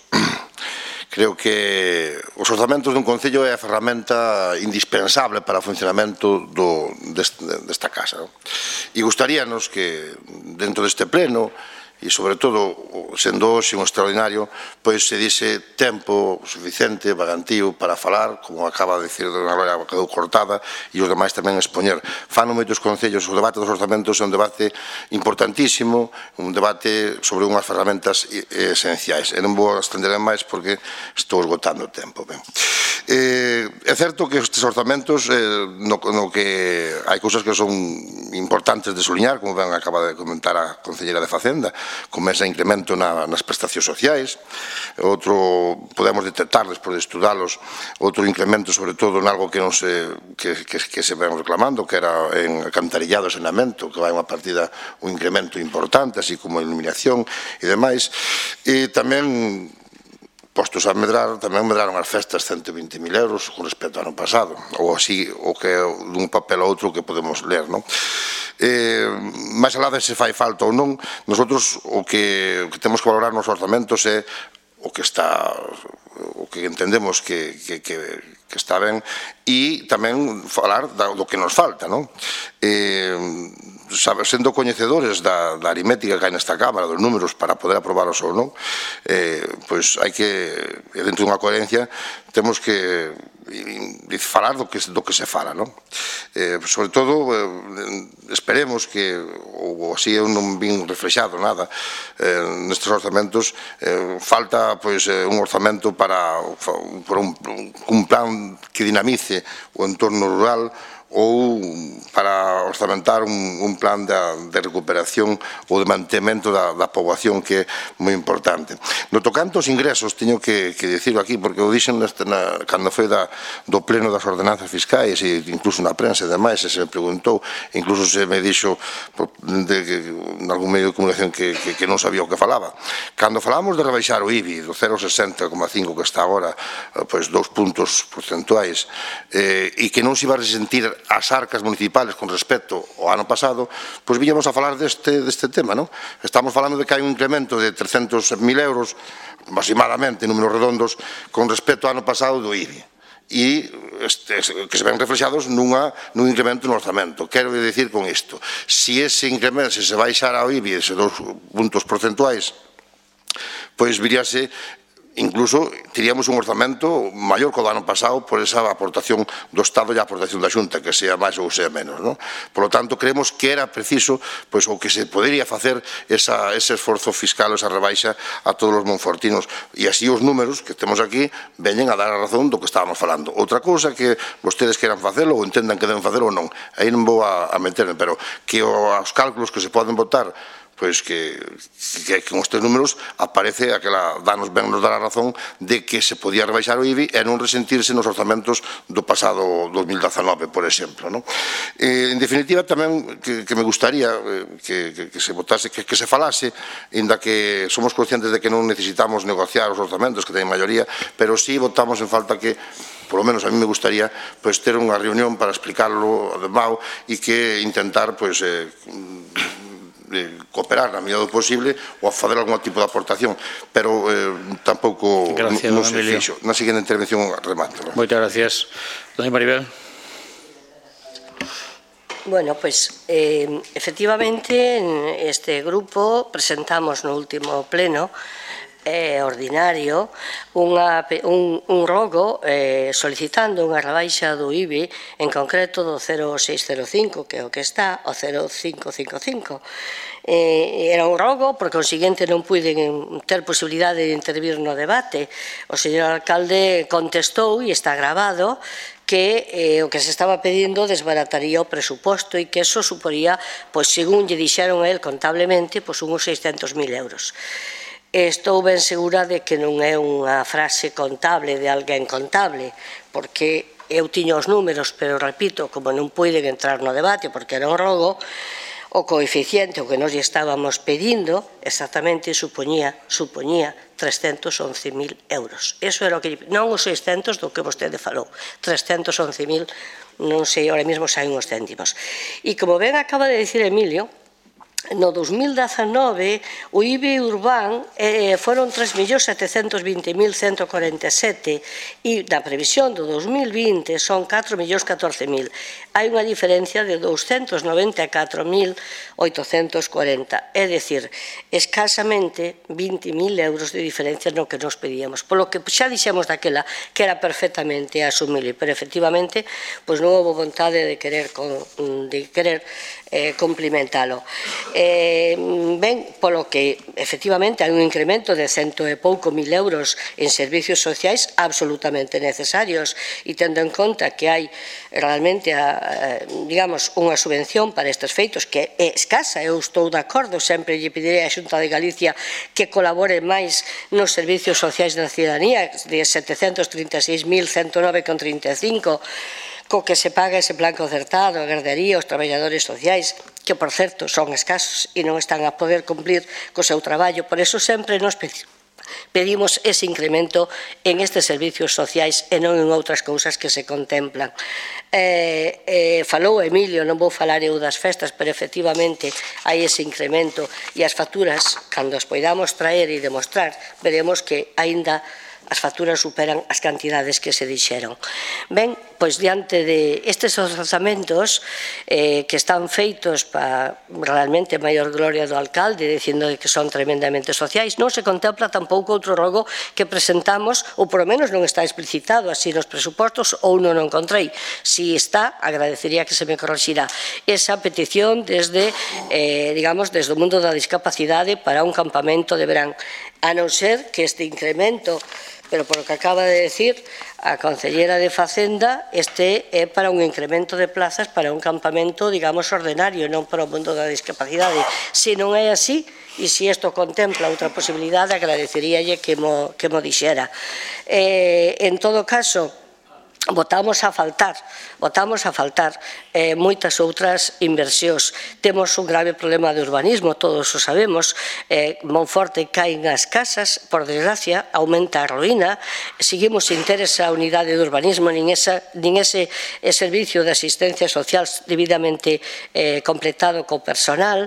creo que os orzamentos dun concello é a ferramenta indispensable para o funcionamento do, deste, desta casa. Non? E gustaríanos que dentro deste pleno, e sobre todo, sendo hoxe un extraordinario, pois se dise tempo suficiente, vagantío, para falar, como acaba de dicir Dona Gloria, quedou cortada, e os demais tamén expoñer. Fano moitos concellos, o debate dos orzamentos é un debate importantísimo, un debate sobre unhas ferramentas esenciais. E non vou estender máis porque estou esgotando o tempo. Ben. Eh, é certo que estes orzamentos, eh, no, no que hai cousas que son importantes de soliñar, como ben acaba de comentar a concelleira de Facenda, como ese incremento na, nas prestacións sociais, outro, podemos detectar despois de estudalos, outro incremento sobre todo en algo que non se, que, que, que se ven reclamando, que era en alcantarillado e saneamento, que vai unha partida, un incremento importante, así como iluminación e demais, e tamén postos a medrar, tamén medraron as festas cento e vinte mil euros con respecto ao ano pasado, ou así, o que dun papel a outro que podemos ler, non? Eh, máis alá de se fai falta ou non, nosotros o que, o que temos que valorar nos orzamentos é o que está, o que entendemos que, que, que, que está ben, e tamén falar do que nos falta, non? Eh, sabe, sendo coñecedores da, da aritmética que hai nesta Cámara, dos números para poder aprobaros ou non, eh, pois hai que, dentro dunha coherencia, temos que falar do que, do que se fala, non? Eh, sobre todo, eh, esperemos que, ou así eu non vin reflexado nada, eh, nestes orzamentos, eh, falta pois, eh, un orzamento para, para un, un plan que dinamice o entorno rural, ou para orzamentar un, un plan de, de recuperación ou de mantemento da, da poboación, que é moi importante. No tocante aos ingresos, teño que, que dicirlo aquí, porque o dixen neste, na, cando foi da, do pleno das ordenanzas fiscais, e incluso na prensa e demais, e se me preguntou, incluso se me dixo de, de, en algún medio de comunicación que, que, que non sabía o que falaba. Cando falamos de rebaixar o I B I do cero coma sesenta coma cinco que está agora, pois dous puntos porcentuais, eh, e que non se iba a resentir as arcas municipales con respecto ao ano pasado, pois víamos a falar deste, deste tema, non? Estamos falando de que hai un incremento de trescentos mil euros, aproximadamente, números redondos, con respecto ao ano pasado do I B I. E este, que se ven reflexados nunha, nun incremento no orzamento. Quero dicir con isto, se ese incremento, se se baixara ao I B I, ese dos puntos porcentuais, pois viríase, incluso teríamos un orzamento maior que o do ano pasado por esa aportación do Estado e a aportación da Xunta, que sea máis ou sea menos, non? Por lo tanto, creemos que era preciso, pois, o que se podería facer esa, ese esforzo fiscal, esa rebaixa a todos os monfortinos, e así os números que temos aquí veñen a dar a razón do que estábamos falando. Outra cousa que vostedes queran facelo ou entendan que deben facelo ou non, aí non vou a, a meterme, pero que os cálculos que se poden botar, pois que, que, que con estes números aparece aquela, danos ben nos dar a razón de que se podía rebaixar o I B I e non resentirse nos orzamentos do pasado dos mil dezanove, por exemplo, non? Eh, en definitiva, tamén que, que me gustaría eh, que, que, que se votase, que, que se falase, inda que somos conscientes de que non necesitamos negociar os orzamentos que teñen maioría, pero sí votamos en falta que, por lo menos a mí me gustaría, pois, ter unha reunión para explicarlo de Mao e que intentar, pois, eh, de cooperar na medida do posible ou a fazer algún tipo de aportación, pero eh, tampouco gracias, non se fixo. Na seguinte intervención remato. Moitas gracias. Doña Maribel. Bueno, pues eh, efectivamente en este grupo presentamos no último pleno é ordinario unha, un, un rogo eh, solicitando unha rebaixa do I B I, en concreto do cero coma seiscentos cinco, que é o que está, o cero coma cinco cinco cinco. Eh, era un rogo, por consiguiente non puiden ter posibilidade de intervir no debate. O señor alcalde contestou, e está grabado, que eh, o que se estaba pedindo desbarataría o presuposto e que eso suporía, pois, según lle dixeron a él contablemente, pois, uns seiscentos mil euros. Estou ben segura de que non é unha frase contable de alguén contable, porque eu tiño os números, pero repito, como non puiden entrar no debate porque era un rogo, o coeficiente o que nos estábamos pedindo exactamente supoñía, supoñía trescentos once mil euros. Eso era o que, non os seiscentos do que vostede falou, trescentos once mil, non sei, ahora mesmo saen os céntimos. E como ben acaba de dicir Emilio, no dos mil dezanove o I B I urbán eh, foron tres millóns setecentos vinte mil ciento corenta e sete e na previsión do dos mil vinte son catro millóns catorce mil. Hai unha diferencia de doscientos noventa e catro mil oitocentos corenta, é dicir, escasamente vinte mil euros de diferencia no que nos pedíamos, polo que xa dixemos daquela que era perfectamente asumible, pero efectivamente pois non houve vontade de querer, de querer eh, cumplimentalo. Eh, ben, polo que efectivamente hai un incremento de cento e pouco mil euros en servicios sociais absolutamente necesarios, e tendo en conta que hai realmente a, digamos, unha subvención para estes feitos que é escasa, eu estou de acordo, sempre lle pedirei á Xunta de Galicia que colabore máis nos servicios sociais da cidadanía de setecentos trinta e seis mil ciento nove con trinta e cinco, co que se paga ese plan concertado, a gardería, os traballadores sociais, que, por certo, son escasos e non están a poder cumplir co seu traballo. Por eso sempre nos pedimos ese incremento en estes servicios sociais e non en outras cousas que se contemplan. Eh, eh, falou Emilio, non vou falar eu das festas, pero efectivamente hai ese incremento e as facturas, cando as poidamos traer e demostrar, veremos que aínda as facturas superan as cantidades que se dixeron. Ben, pois diante de estes orzamentos eh, que están feitos para realmente maior gloria do alcalde, dicindo que son tremendamente sociais, non se contempla tampouco outro rogo que presentamos, ou por lo menos non está explicitado así nos presupostos, ou non o encontrei. Si está, agradecería que se me corrixira esa petición desde, eh, digamos, desde o mundo da discapacidade para un campamento de verán, a non ser que este incremento, pero por o que acaba de decir a Concellera de Facenda, este é para un incremento de plazas para un campamento, digamos, ordenario, non para o mundo da discapacidade. Se non é así, e se isto contempla outra posibilidade, agradeceríalle que mo, que mo dixera. Eh, en todo caso, votamos a faltar, votamos a faltar eh, moitas outras inversións. Temos un grave problema de urbanismo, todos o sabemos. Eh, Monforte caen as casas, por desgracia, aumenta a ruína, seguimos sin ter esa unidade de urbanismo, nin, esa, nin ese eh, servicio de asistencia social debidamente eh, completado co personal.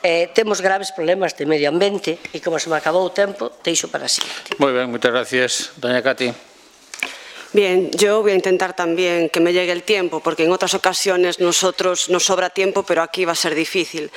Eh, temos graves problemas de medio ambiente e, como se me acabou o tempo, deixo para así. Moi ben, moitas gracias, doña Cati. Bien, yo voy a intentar también que me llegue el tiempo, porque en otras ocasiones nosotros nos sobra tiempo, pero aquí va a ser difícil.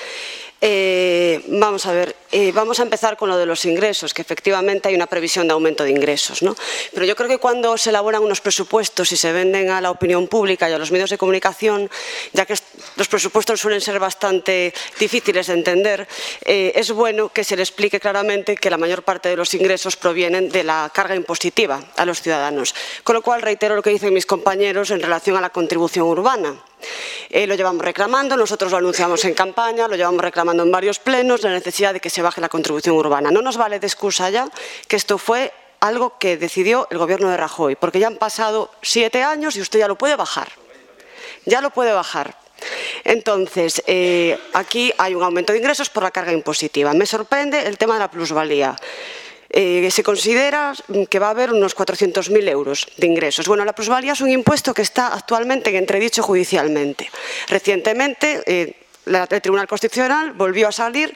Eh, vamos a ver, eh, vamos a empezar con lo de los ingresos, que efectivamente hay una previsión de aumento de ingresos, ¿no? Pero yo creo que cuando se elaboran unos presupuestos y se venden a la opinión pública y a los medios de comunicación, ya que los presupuestos suelen ser bastante difíciles de entender, eh, es bueno que se le explique claramente que la mayor parte de los ingresos provienen de la carga impositiva a los ciudadanos. Con lo cual reitero lo que dicen mis compañeros en relación a la contribución urbana. Eh, lo llevamos reclamando, nosotros lo anunciamos en campaña, lo llevamos reclamando en varios plenos, la necesidad de que se baje la contribución urbana. No nos vale de excusa ya que esto fue algo que decidió el gobierno de Rajoy, porque ya han pasado siete años y usted ya lo puede bajar. Ya lo puede bajar. Entonces, eh, aquí hay un aumento de ingresos por la carga impositiva. Me sorprende el tema de la plusvalía. Eh, se considera que va a haber unos cuatrocientos mil euros de ingresos. Bueno, la plusvalía es un impuesto que está actualmente en entredicho judicialmente. Recientemente, eh, la, el Tribunal Constitucional volvió a salir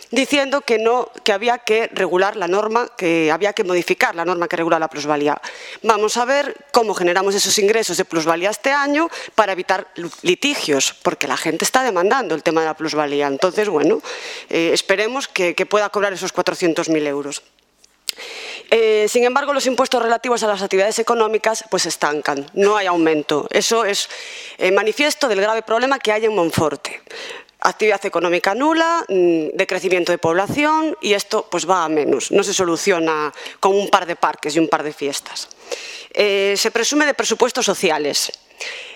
diciendo que, no, que había que regular la norma, que había que modificar la norma que regula la plusvalía. Vamos a ver cómo generamos esos ingresos de plusvalía este año para evitar litigios, porque la gente está demandando el tema de la plusvalía. Entonces, bueno, eh, esperemos que, que pueda cobrar esos cuatrocientos mil euros. Eh, sin embargo, los impuestos relativos a las actividades económicas pues estancan, no hay aumento. Eso es eh, manifiesto del grave problema que hay en Monforte. Actividad económica nula, de crecimiento de población, y esto pues va a menos, no se soluciona con un par de parques y un par de fiestas. Eh, se presume de presupuestos sociales.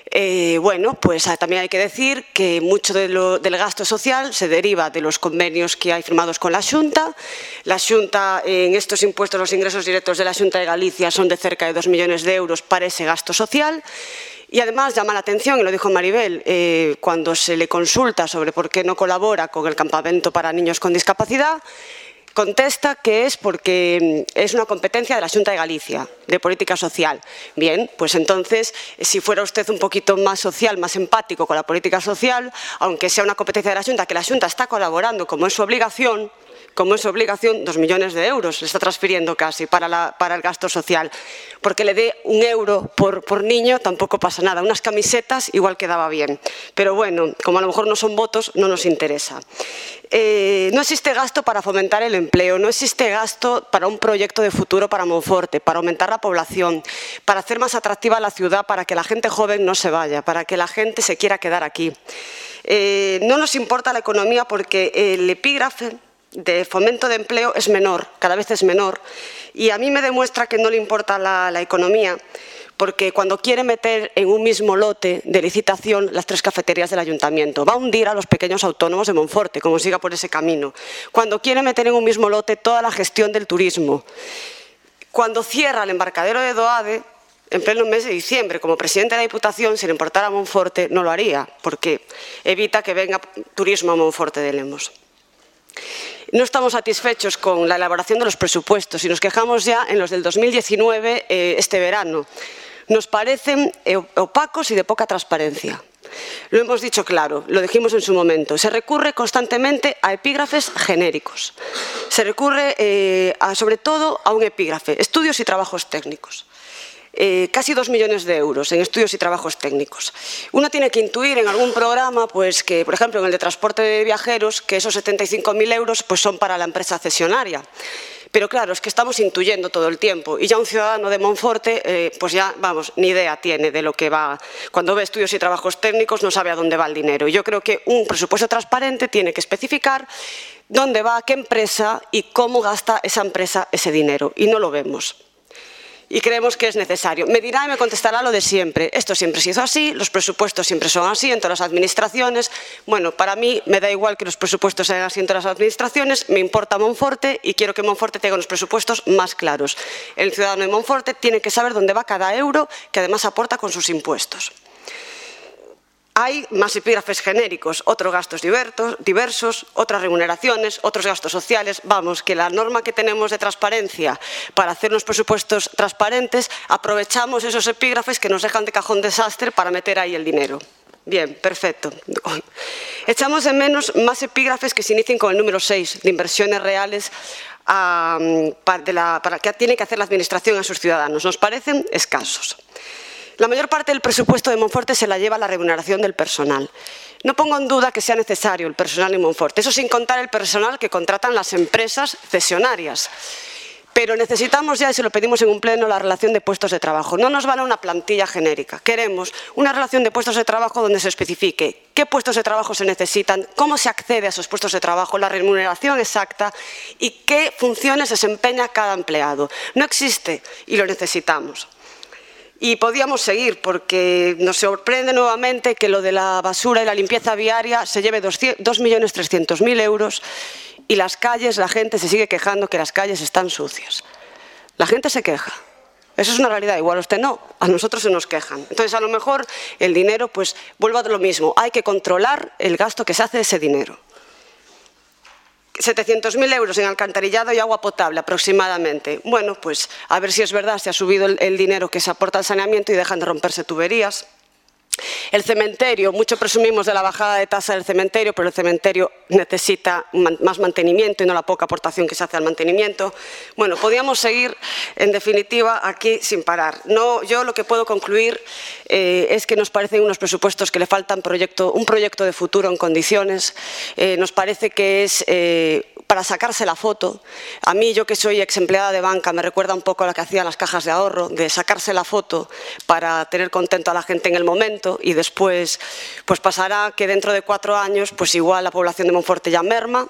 Eh, bueno, pues también hay que decir que mucho de lo, del gasto social se deriva de los convenios que hay firmados con la Xunta. La Xunta, en estos impuestos, los ingresos directos de la Xunta de Galicia son de cerca de dos millones de euros para ese gasto social. Y además llama la atención, y lo dijo Maribel, eh, cuando se le consulta sobre por qué no colabora con el campamento para niños con discapacidad, contesta que es porque es una competencia de la Xunta de Galicia, de política social. Bien, pues entonces, si fuera usted un poquito más social, más empático con la política social, aunque sea una competencia de la Xunta, que la Xunta está colaborando como es su obligación, como es su obligación, dos millones de euros le está transfiriendo casi para, la, para el gasto social. Porque le dé un euro por, por niño tampoco pasa nada. Unas camisetas igual quedaba bien. Pero bueno, como a lo mejor no son votos, no nos interesa. Eh, no existe gasto para fomentar el empleo, no existe gasto para un proyecto de futuro para Monforte, para aumentar la población, para hacer más atractiva la ciudad, para que la gente joven no se vaya, para que la gente se quiera quedar aquí. Eh, no nos importa la economía porque el epígrafe de fomento de empleo es menor, cada vez es menor, y a mí me demuestra que no le importa la, la economía, porque cuando quiere meter en un mismo lote de licitación las tres cafeterías del ayuntamiento, va a hundir a los pequeños autónomos de Monforte, como siga por ese camino. Cuando quiere meter en un mismo lote toda la gestión del turismo, cuando cierra el embarcadero de Doade, en pleno mes de diciembre, como presidente de la Diputación, si le importara a Monforte, no lo haría, porque evita que venga turismo a Monforte de Lemos. No estamos satisfechos con la elaboración de los presupuestos y nos quejamos ya en los del dos mil diecinueve, eh, este verano. Nos parecen opacos y de poca transparencia. Lo hemos dicho claro, lo dijimos en su momento. Se recurre constantemente a epígrafes genéricos. Se recurre eh, a, sobre todo a un epígrafe, estudios y trabajos técnicos. Eh, casi dos millones de euros en estudios y trabajos técnicos. Uno tiene que intuir en algún programa, pues que, por ejemplo, en el de transporte de viajeros, que esos setenta y cinco mil euros pues, son para la empresa cesionaria. Pero claro, es que estamos intuyendo todo el tiempo y ya un ciudadano de Monforte, eh, pues ya, vamos, ni idea tiene de lo que va. Cuando ve estudios y trabajos técnicos no sabe a dónde va el dinero. Yo creo que un presupuesto transparente tiene que especificar dónde va, qué empresa y cómo gasta esa empresa ese dinero. Y no lo vemos. Y creemos que es necesario. Me dirá y me contestará lo de siempre. Esto siempre se hizo así, los presupuestos siempre son así en todas las administraciones. Bueno, para mí me da igual que los presupuestos sean así en todas las administraciones, me importa Monforte y quiero que Monforte tenga unos presupuestos más claros. El ciudadano de Monforte tiene que saber dónde va cada euro que además aporta con sus impuestos. Hay más epígrafes genéricos, otros gastos diversos, otras remuneraciones, otros gastos sociales. Vamos, que la norma que tenemos de transparencia para hacer unos presupuestos transparentes, aprovechamos esos epígrafes que nos dejan de cajón desastre para meter ahí el dinero. Bien, perfecto. Echamos de menos más epígrafes que se inicien con el número seis, de inversiones reales a, para, de la, para que tiene que hacer la Administración a sus ciudadanos. Nos parecen escasos. La mayor parte del presupuesto de Monforte se la lleva la remuneración del personal. No pongo en duda que sea necesario el personal en Monforte, eso sin contar el personal que contratan las empresas cesionarias. Pero necesitamos ya, y se lo pedimos en un pleno, la relación de puestos de trabajo. No nos vale una plantilla genérica. Queremos una relación de puestos de trabajo donde se especifique qué puestos de trabajo se necesitan, cómo se accede a esos puestos de trabajo, la remuneración exacta y qué funciones desempeña cada empleado. No existe y lo necesitamos. Y podíamos seguir porque nos sorprende nuevamente que lo de la basura y la limpieza viaria se lleve dos millones trescientos mil euros y las calles, la gente se sigue quejando que las calles están sucias. La gente se queja. Eso es una realidad. Igual a usted no, a nosotros se nos quejan. Entonces, a lo mejor el dinero, pues, vuelvo a lo mismo. Hay que controlar el gasto que se hace de ese dinero. setecientos mil euros en alcantarillado y agua potable aproximadamente. Bueno, pues a ver si es verdad, se ha subido el, el dinero que se aporta al saneamiento y dejan de romperse tuberías. El cementerio, mucho presumimos de la bajada de tasa del cementerio, pero el cementerio necesita más mantenimiento y no la poca aportación que se hace al mantenimiento. Bueno, podríamos seguir, en definitiva, aquí sin parar. No, yo lo que puedo concluir eh, es que nos parecen unos presupuestos que le faltan proyecto, un proyecto de futuro en condiciones. Eh, nos parece que es eh, para sacarse la foto. A mí, yo que soy ex empleada de banca, me recuerda un poco a lo que hacían las cajas de ahorro, de sacarse la foto para tener contento a la gente en el momento. Y después pues pasará que dentro de cuatro años pues igual la población de Monforte ya merma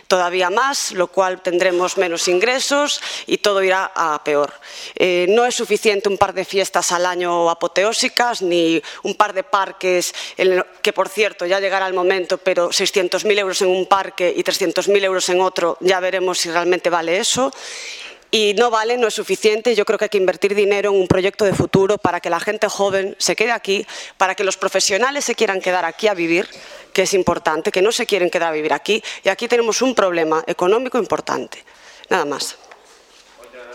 todavía más, lo cual tendremos menos ingresos y todo irá a peor. Eh, no es suficiente un par de fiestas al año apoteósicas ni un par de parques, en el, que por cierto ya llegará el momento, pero seiscientos mil euros en un parque y trescientos mil euros en otro, ya veremos si realmente vale eso. Y no vale, no es suficiente. Yo creo que hay que invertir dinero en un proyecto de futuro para que la gente joven se quede aquí, para que los profesionales se quieran quedar aquí a vivir, que es importante, que no se quieren quedar a vivir aquí. Y aquí tenemos un problema económico importante. Nada más.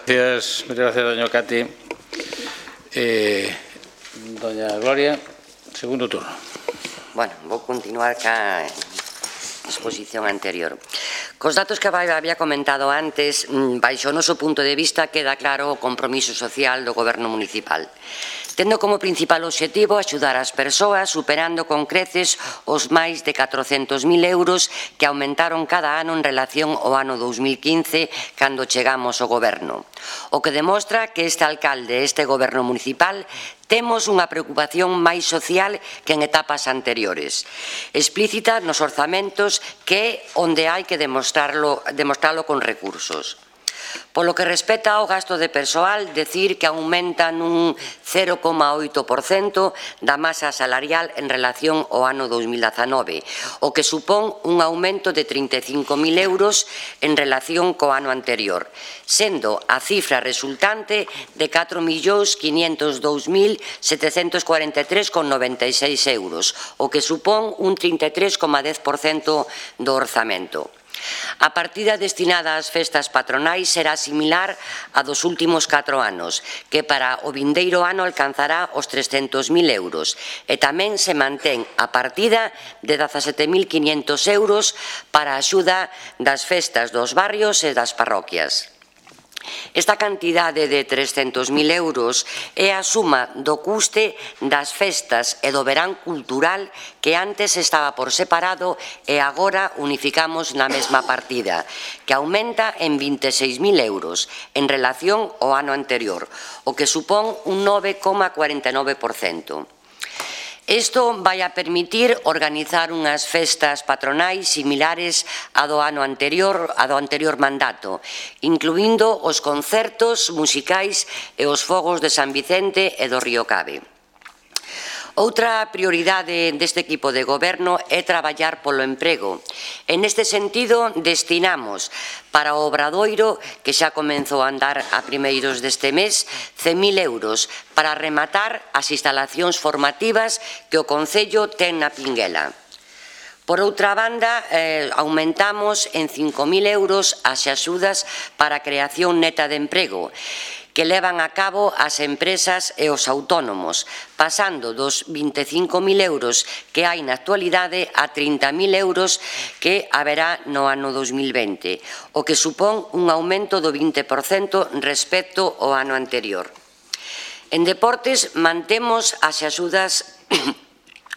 Gracias, muchas gracias, doña Cati. Eh, doña Gloria, segundo turno. Bueno, vou continuar ca exposición anterior. Cos datos que había comentado antes, baixo o noso punto de vista, queda claro o compromiso social do Goberno municipal, tendo como principal obxectivo axudar as persoas superando con creces os máis de catrocentos mil euros que aumentaron cada ano en relación ao ano dous mil quince, cando chegamos ao Goberno. O que demostra que este alcalde e este Goberno municipal temos unha preocupación máis social que en etapas anteriores, explícita nos orzamentos, que é onde hai que demostrarlo, demostrarlo con recursos. Polo que respecta ao gasto de persoal, decir que aumenta nun cero coma oito por cento da masa salarial en relación ao ano dous mil dezanove, o que supón un aumento de trinta e cinco mil euros en relación co ano anterior, sendo a cifra resultante de catro millóns quinientos dous mil setecentos cuarenta e tres coma noventa e seis euros, o que supón un trinta e tres coma dez por cento do orzamento. A partida destinada ás festas patronais será similar a dos últimos catro anos, que para o vindeiro ano alcanzará os trescentos mil euros, e tamén se mantén a partida de dezasete mil quinhentos euros para a axuda das festas dos barrios e das parroquias. Esta cantidade de trescentos mil euros é a suma do custe das festas e do verán cultural, que antes estaba por separado e agora unificamos na mesma partida, que aumenta en vinte e seis mil euros en relación ao ano anterior, o que supón un nove coma cuarenta e nove por cento. Isto vai a permitir organizar unhas festas patronais similares a do ano anterior, a do anterior mandato, incluindo os concertos musicais e os fogos de San Vicente e do Río Cabe. Outra prioridade deste equipo de goberno é traballar polo emprego. En este sentido, destinamos para o Obradoiro, que xa comenzou a andar a primeiros deste mes, cen mil euros para rematar as instalacións formativas que o Concello ten na Pinguela. Por outra banda, eh, aumentamos en cinco mil euros as axudas para a creación neta de emprego, que levan a cabo as empresas e os autónomos, pasando dos vinte e cinco mil euros que hai na actualidade a trinta mil euros que haberá no ano dous mil vinte, o que supón un aumento do vinte por cento respecto ao ano anterior. En deportes, mantemos as axudas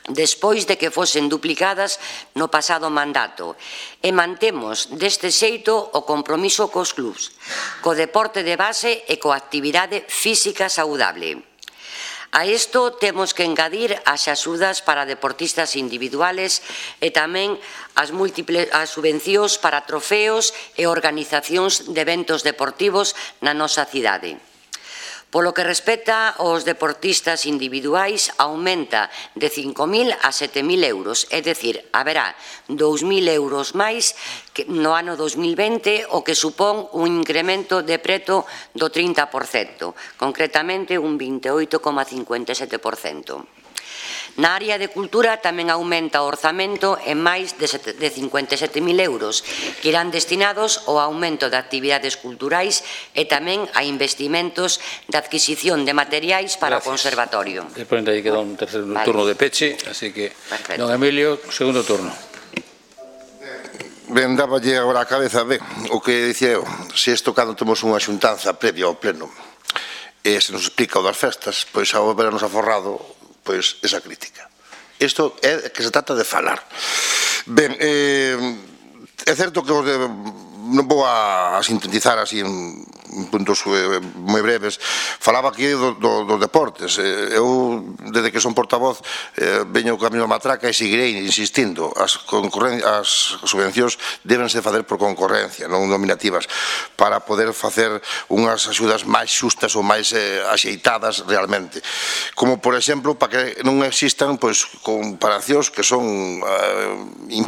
despois de que fosen duplicadas no pasado mandato, e mantemos deste xeito o compromiso cos clubs, co deporte de base e coa actividade física saudable. A isto temos que engadir as axudas para deportistas individuales e tamén as múltiples as subvencións para trofeos e organizacións de eventos deportivos na nosa cidade. Polo que respecta aos deportistas individuais, aumenta de cinco mil a sete mil euros, é dicir, haberá dous mil euros máis no ano dous mil vinte, o que supón un incremento de preto do trinta por cento, concretamente un vinte e oito coma cincuenta e sete por cento. Na área de cultura tamén aumenta o orzamento en máis de cincuenta e sete mil euros, que irán destinados ao aumento de actividades culturais e tamén a investimentos de adquisición de materiais para o conservatorio. Despois aí queda un terceiro turno de peche, así que, don Emilio, segundo turno. Ben, dáballe agora a cabeza, ben, o que dicía eu, se isto cando temos unha xuntanza previa ao pleno e se nos explica o das festas, pois ao vernos aforrado, pois esa crítica. Isto é que se trata de falar. Ben, eh, é certo que os de, non vou a sintetizar así en puntos eh, moi breves. Falaba aquí do, do, dos deportes. Eh, eu, desde que son portavoz, eh, veño co camino da matraca e seguirei insistindo. As, as subvencións débense facer por concorrencia, non nominativas, para poder facer unhas axudas máis xustas ou máis eh, axeitadas realmente. Como, por exemplo, para que non existan pois, comparacións que son eh,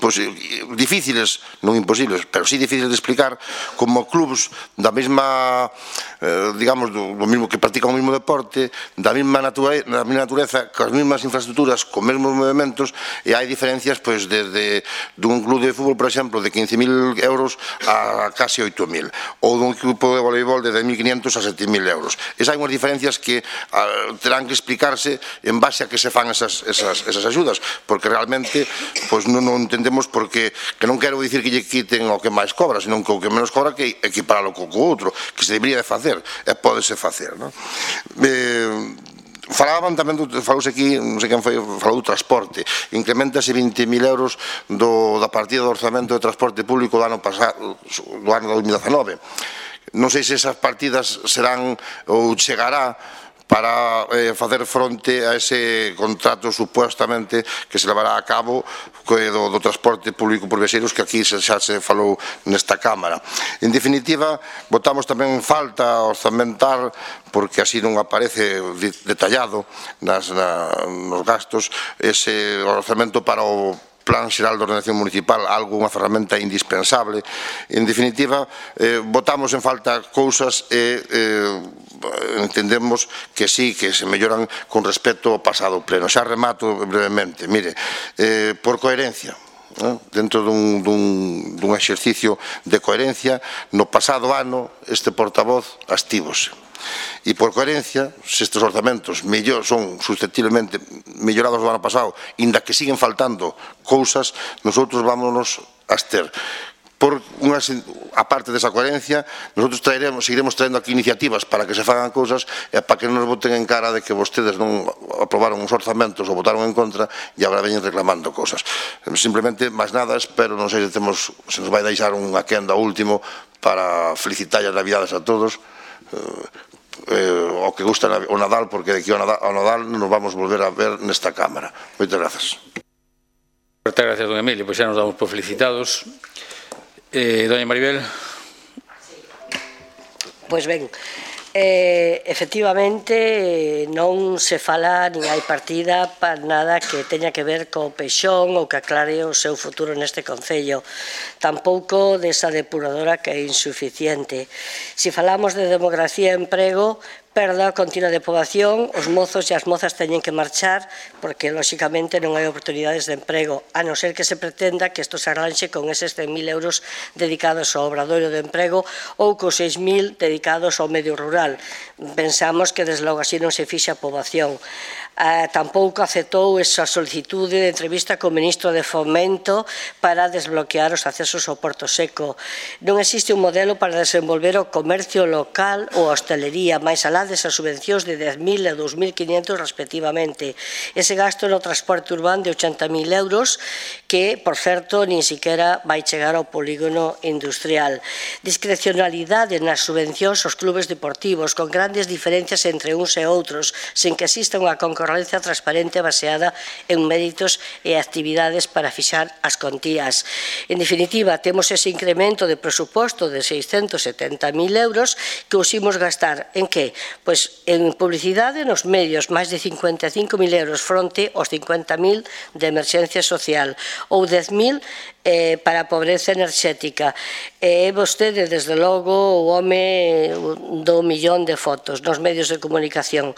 difíciles, non imposibles, pero sí difíciles de explicar, como clubs da mesma Eh, digamos, do, do mismo que practican o mismo deporte, da mesma natureza, da mesma natureza, coas mesmas infraestructuras, con mesmos movimentos, e hai diferencias, pois, desde dun club de fútbol, por exemplo, de quince mil euros a casi oito mil, ou dun equipo de voleibol de dez mil quinientos a sete mil euros. Esas hai unhas diferencias que a, terán que explicarse en base a que se fan esas, esas, esas axudas, porque realmente, pois, non, non entendemos porque, que non quero dicir que lle quiten o que máis cobra, senón que o que menos cobra que equiparalo co outro, que se debería de facer, e pódese facer, non? Eh, falaban tamén, falouse aquí, non sei quen foi, falou do transporte, incrementase vinte mil euros do, da partida do orzamento de transporte público do ano pasado, do ano dos mil dezanove. Non sei se esas partidas serán ou chegará para eh, facer fronte a ese contrato supuestamente que se levará a cabo do, do transporte público por viaxeiros que aquí se, xa se falou nesta Cámara. En definitiva, votamos tamén en falta orzamentar, porque así non aparece detallado nas, na, nos gastos, ese orzamento para o Plan Xeral de Ordenación Municipal, algo, unha ferramenta indispensable. En definitiva, eh, votamos en falta cousas e eh, entendemos que sí, que se melloran con respecto ao pasado pleno. Xa remato brevemente. Mire, eh, por coherencia, ¿no? Dentro dun, dun, dun exercicio de coherencia, no pasado ano este portavoz astívose. E por coherencia, se estes orzamentos mellor, son susceptiblemente mellorados do ano pasado, inda que siguen faltando cousas, nosotros vámonos a abster. Por unha, a parte desa coherencia, nosotros traeremos, seguiremos traendo aquí iniciativas para que se fagan cousas e para que non nos boten en cara de que vostedes non aprobaron os orzamentos ou votaron en contra e agora veñen reclamando cousas. Simplemente, máis nada, espero, non sei se, temos, se nos vai deixar unha quenda último para felicitar as Navidades a todos. Eh, o que gusta o Nadal, porque de aquí ao Nadal, ao Nadal nos vamos volver a ver nesta Cámara. Moitas grazas. Moitas grazas, don Emilio, pois xa nos damos por felicitados. Eh, doña Maribel. Pois ben, eh, efectivamente non se fala nin hai partida para nada que teña que ver co Peixón ou que aclare o seu futuro neste concello, tampouco desa depuradora que é insuficiente. Se falamos de demografía e emprego, perda continua de poboación, os mozos e as mozas teñen que marchar porque, lóxicamente, non hai oportunidades de emprego, a non ser que se pretenda que isto se arranxe con eses cen mil euros dedicados ao obradoiro de emprego ou cos seis mil dedicados ao medio rural. Pensamos que, desde logo, así non se fixa a poboación. Uh, tampouco aceptou esa solicitude de entrevista co ministro de Fomento para desbloquear os accesos ao Porto Seco. Non existe un modelo para desenvolver o comercio local ou a hostelería, máis alá desas subvencións de dez mil e dous mil quinientos respectivamente. Ese gasto no transporte urbano de ochenta mil euros que, por certo, nin siquiera vai chegar ao polígono industrial. Discrecionalidade nas subvencións aos clubes deportivos, con grandes diferencias entre uns e outros, sen que exista unha concorrencia transparente baseada en méritos e actividades para fixar as contías. En definitiva, temos ese incremento de presuposto de seiscentos setenta mil euros que os imos gastar en que? Pois en publicidade nos medios máis de cincuenta e cinco mil euros fronte aos cincuenta mil de emerxencia social ou dez mil eh, para a pobreza enerxética. E eh, vostede, desde logo, o home do millón de fotos nos medios de comunicación.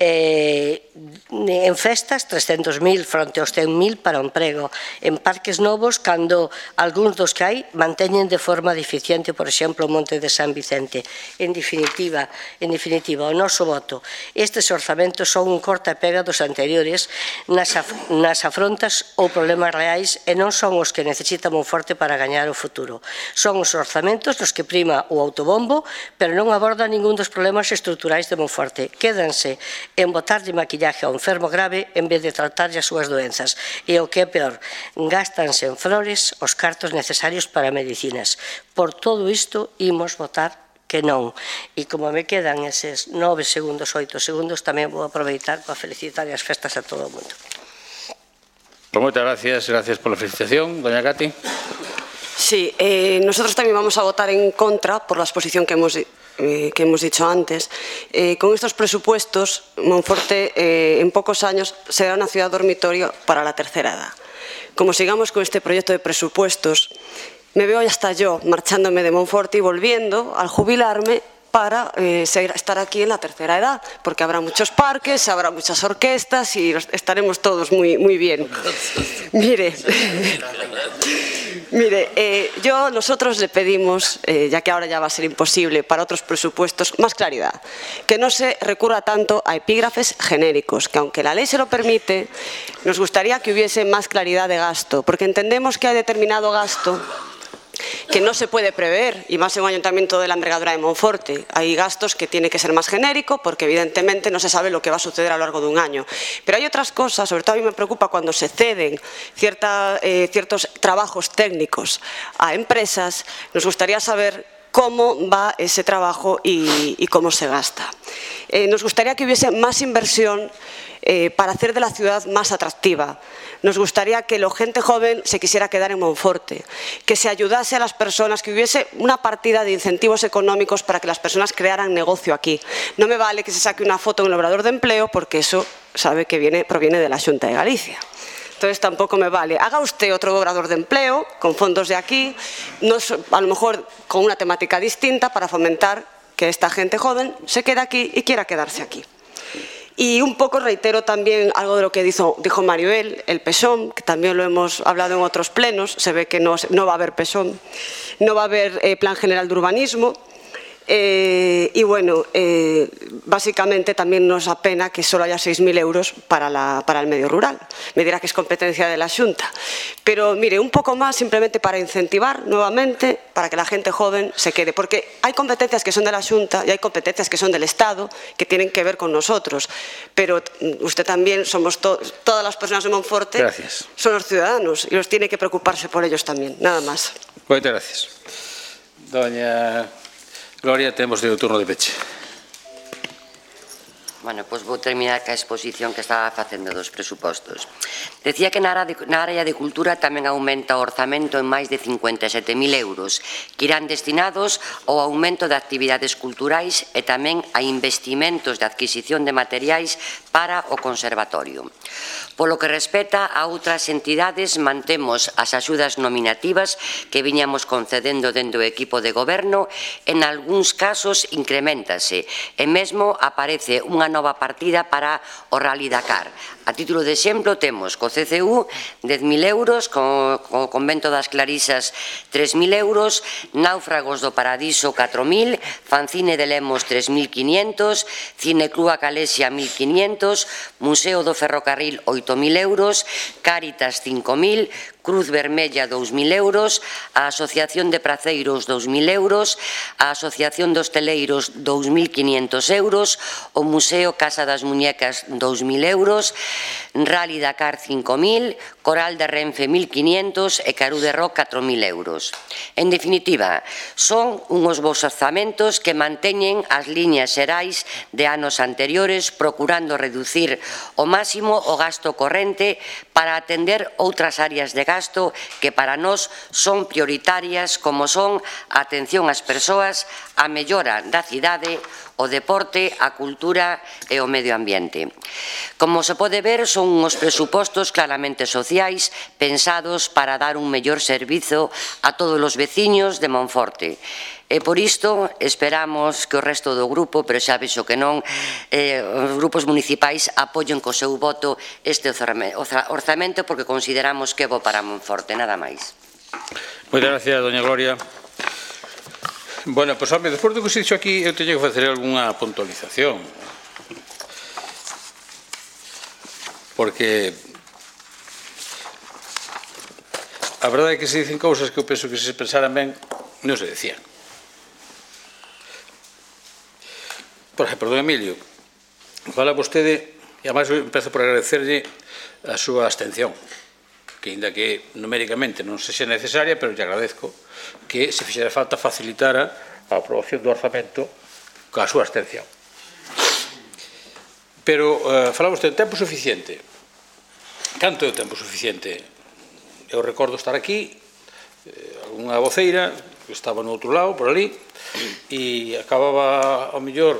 Eh, en festas, trescentos mil fronte aos cen mil para o emprego. En parques novos, cando algúns dos que hai manteñen de forma deficiente, por exemplo, o Monte de San Vicente. En definitiva, en definitiva, o noso voto. Estes orzamentos son un corta e pega dos anteriores nas, af nas afrontas ou problemas reais e non son os que necesita Monforte para gañar o futuro. Son os orzamentos nos que prima o autobombo, pero non abordan ningún dos problemas estruturais de Monforte. Quédanse en botarlle maquillaje ao enfermo grave en vez de tratarlle as súas doenzas. E o que é peor, gástanse en flores os cartos necesarios para medicinas. Por todo isto, imos votar que non. E como me quedan eses nove segundos, oito segundos, tamén vou aproveitar para felicitar as festas a todo o mundo. Pues moitas gracias, gracias pola felicitación. Doña Cati. Sí, eh, nosotros también vamos a votar en contra por la exposición que hemos, eh, que hemos dicho antes. Eh, con estos presupuestos, Monforte eh, en pocos años será una ciudad dormitorio para la tercera edad. Como sigamos con este proyecto de presupuestos, me veo hasta yo marchándome de Monforte y volviendo al jubilarme para eh, seguir, estar aquí en la tercera edad, porque habrá muchos parques, habrá muchas orquestas y estaremos todos muy, muy bien. Mire, mire eh, yo, nosotros le pedimos, eh, ya que ahora ya va a ser imposible para otros presupuestos, más claridad, que no se recurra tanto a epígrafes genéricos, que aunque la ley se lo permite, nos gustaría que hubiese más claridad de gasto, porque entendemos que hay determinado gasto que no se puede prever, y más en un ayuntamiento de la envergadura de Monforte. Hay gastos que tiene que ser más genérico porque evidentemente no se sabe lo que va a suceder a lo largo de un año. Pero hay otras cosas, sobre todo a mí me preocupa cuando se ceden cierta, eh, ciertos trabajos técnicos a empresas. Nos gustaría saber cómo va ese trabajo y, y cómo se gasta. Eh, nos gustaría que hubiese más inversión eh, para hacer de la ciudad más atractiva. Nos gustaría que la gente joven se quisiera quedar en Monforte, que se ayudase a las personas, que hubiese una partida de incentivos económicos para que las personas crearan negocio aquí. No me vale que se saque una foto en el obrador de empleo porque eso sabe que viene, proviene de la Xunta de Galicia. Entonces tampoco me vale. Haga usted otro obrador de empleo con fondos de aquí, no, a lo mejor con una temática distinta para fomentar que esta gente joven se quede aquí y quiera quedarse aquí. Y un poco reitero también algo de lo que dijo, dijo Maribel, el PESOM, que también lo hemos hablado en otros plenos, se ve que no, no va a haber PESOM, no va a haber eh, Plan General de Urbanismo. Eh, y bueno, eh, básicamente también nos apena que solo haya seis mil euros para, la, para el medio rural. Me dirá que es competencia de la Xunta. Pero mire, un poco más simplemente para incentivar nuevamente, para que la gente joven se quede. Porque hay competencias que son de la Xunta y hay competencias que son del Estado, que tienen que ver con nosotros. Pero usted también, somos to todas las personas de Monforte, gracias. Son los ciudadanos y los tiene que preocuparse por ellos también. Nada más. Muchas gracias. Doña Gloria, temos de turno de peche. Bueno, pois vou terminar ca exposición que estaba facendo dos presupostos. Decía que na área de cultura tamén aumenta o orzamento en máis de cincuenta e sete mil euros, que irán destinados ao aumento de actividades culturais e tamén a investimentos de adquisición de materiais para o conservatorio. Polo que respecta a outras entidades, mantemos as axudas nominativas que viñamos concedendo dentro do equipo de goberno, en algúns casos incrementase, e mesmo aparece unha nova partida para o Rally Dakar. A título de exemplo, temos co C C U dez mil euros, co, co Convento das Clarisas tres mil euros, Náufragos do Paradiso catro mil, Fanzine de Lemos tres mil quinientos, Cineclúa Calesia mil quinientos, Museo do Ferrocarril oito mil euros, Cáritas cinco mil, Cruz Vermella dous mil euros, a Asociación de Praceiros dous mil euros, a Asociación de Hosteleiros dous mil quinientos euros, o Museo Casa das Muñecas dous mil euros, Rally Dakar cinco mil, Coral de Renfe mil quinientos e Carú de Roc catro mil euros. En definitiva, son unhos bos orzamentos que manteñen as liñas xerais de anos anteriores, procurando reducir ao máximo o gasto corrente para atender outras áreas de gasto gasto que para nós son prioritarias, como son a atención ás persoas, a mellora da cidade, o deporte, a cultura e o medio ambiente. Como se pode ver, son uns presupostos claramente sociais pensados para dar un mellor servizo a todos os veciños de Monforte. E por isto esperamos que o resto do grupo, pero xa vexo que non, eh, os grupos municipais apoien co seu voto este orzamento porque consideramos que é bo para Monforte, nada máis. Moitas gracias, doña Gloria. Bueno, pois, home, despois do que se dixo aquí, eu teño que facer algunha puntualización. Porque a verdade é que se dicen cousas que eu penso que se pensaran ben, non se decían. Por exemplo, don Emilio, fala vostede, e además eu empezo por agradecerlle a súa abstención, que ainda que numéricamente non sexa necesaria, pero lle agradezco que se fixera falta facilitara a aprobación do orzamento coa súa abstención. Pero uh, fala vostede de tempo suficiente. Canto é o tempo suficiente? Eu recordo estar aquí, eh, unha voceira, que estaba no outro lado, por ali, e acababa, ao mellor,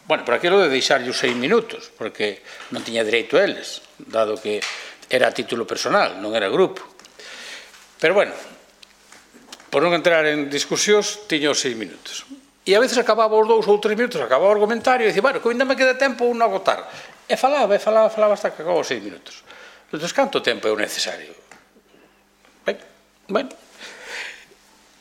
bueno, por aquilo de deixarlle os seis minutos, porque non tiña dereito a eles, dado que era a título personal, non era grupo. Pero, bueno, por non entrar en discusións, tiña os seis minutos. E a veces acababa os dous ou tres minutos, acababa o argumentario, e dicía, bueno, que ainda me queda tempo un non agotar. E falaba, e falaba, falaba hasta que acababa os seis minutos. Entón, canto tempo é o necesario? Ben, bueno.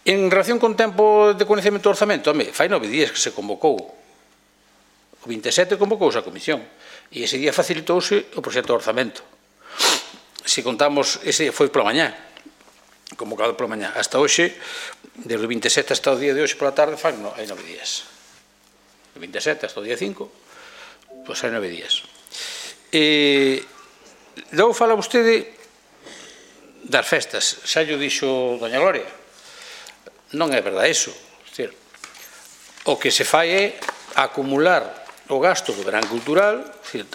En relación con tempo de coñecemento do orzamento, home, fai nove días que se convocou. O vinte e sete convocouse a comisión e ese día facilitouse o proxecto de orzamento. Se contamos, ese foi pola mañá, convocado pola mañá. Hasta hoxe, desde o vinte e sete hasta o día de hoxe pola tarde, fai nove días. O vinte e sete hasta o día cinco, pois hai nove días. E logo fala vostede das festas. Xa llo dixo doña Gloria. Non é verdade iso. O que se fai é acumular o gasto do verán cultural,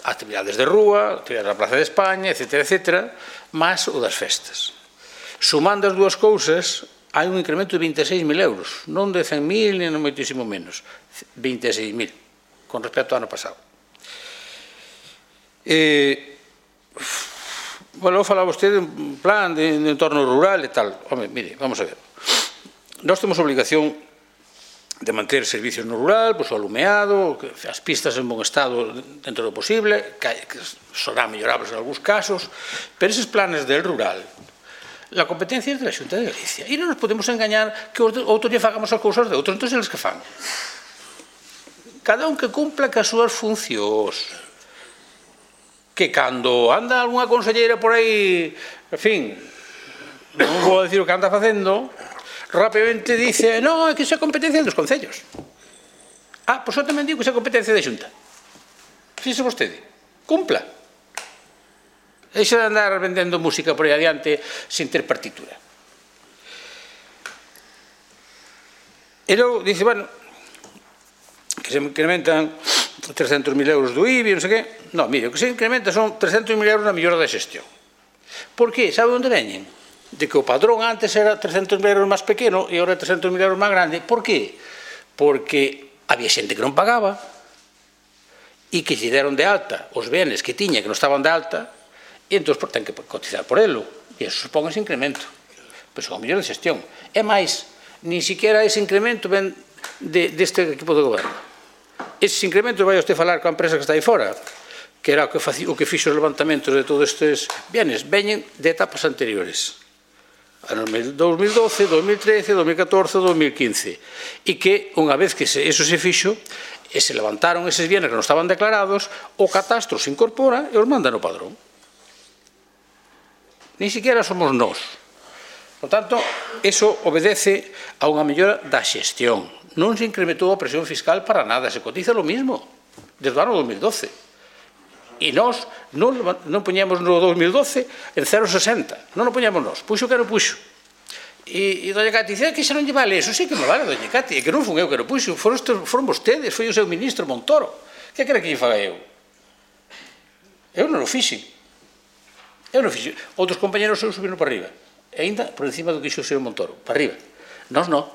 actividades de rúa, actividades da Plaza de España, etcétera, etcétera, máis o das festas. Sumando as dúas cousas, hai un incremento de vinte e seis mil euros, non de cen mil, nem moitísimo menos, vinte e seis mil, con respecto ao ano pasado. Eh, bueno, falaba vostede un plan de, de entorno rural e tal. Home, mire, vamos a ver. Nós temos obligación de manter servicios no rural, pois, o alumeado, as pistas en bon estado dentro do posible, que serán mellorables en algúns casos, pero eses planes del rural, la competencia é de la Xunta de Galicia, e non nos podemos engañar que outros lle fagamos as cousas de outros, entón eles que fan. Cada un que cumpla que as súas funcións, que cando anda algunha conselleira por aí, en fin, non vou dicir o que anda facendo, rápidamente dice, non, é que iso é competencia dos concellos. Ah, pois eu tamén digo que iso é competencia da Xunta. Fixe vostede, cumpla. Deixa de andar vendendo música por aí adiante sin ter partitura. E logo dice, bueno, que se incrementan trescentos mil euros do I B I, non sei que. Non, mire, o que se incrementa son trescentos mil euros na mellora da xestión. Por que? Sabe onde veñen? De que o padrón antes era trescentos mil euros máis pequeno e agora é trescentos mil euros máis grande. Por que? Porque había xente que non pagaba e que lle deron de alta os benes que tiña que non estaban de alta e entón ten que cotizar por elo e eso supón ese incremento. Pois o mellor de xestión. É máis, nin siquiera ese incremento ven deste equipo de goberno. Eses incrementos vai usted falar coa empresa que está aí fora, que era o que fixo os levantamentos de todos estes bienes, veñen de etapas anteriores. Ano dos mil doce, dos mil trece, dos mil catorce, dos mil quince, e que unha vez que eso se fixo e se levantaron eses bienes que non estaban declarados, o catastro se incorpora e os manda no padrón. Ni siquiera somos nós. Por tanto, eso obedece a unha mellora da xestión. Non se incrementou a presión fiscal para nada, se cotiza lo mismo desde o ano dos mil doce. E nós non, non poñemos no dos mil doce en cero vírgula sesenta, non o poñemos nós, puxo que non puxo. E, e doña Cati dice que xa non lle vale eso, sí que me vale, doña Cati, e que non fun eu que non puxo, foron, foron vostedes, foi o seu ministro Montoro. Que quere que lle faga eu? Eu non o fixe. Eu non fixe. Outros compañeros eu subiron para arriba. e ainda por encima do que dixo o señor Montoro, para arriba. Nós non.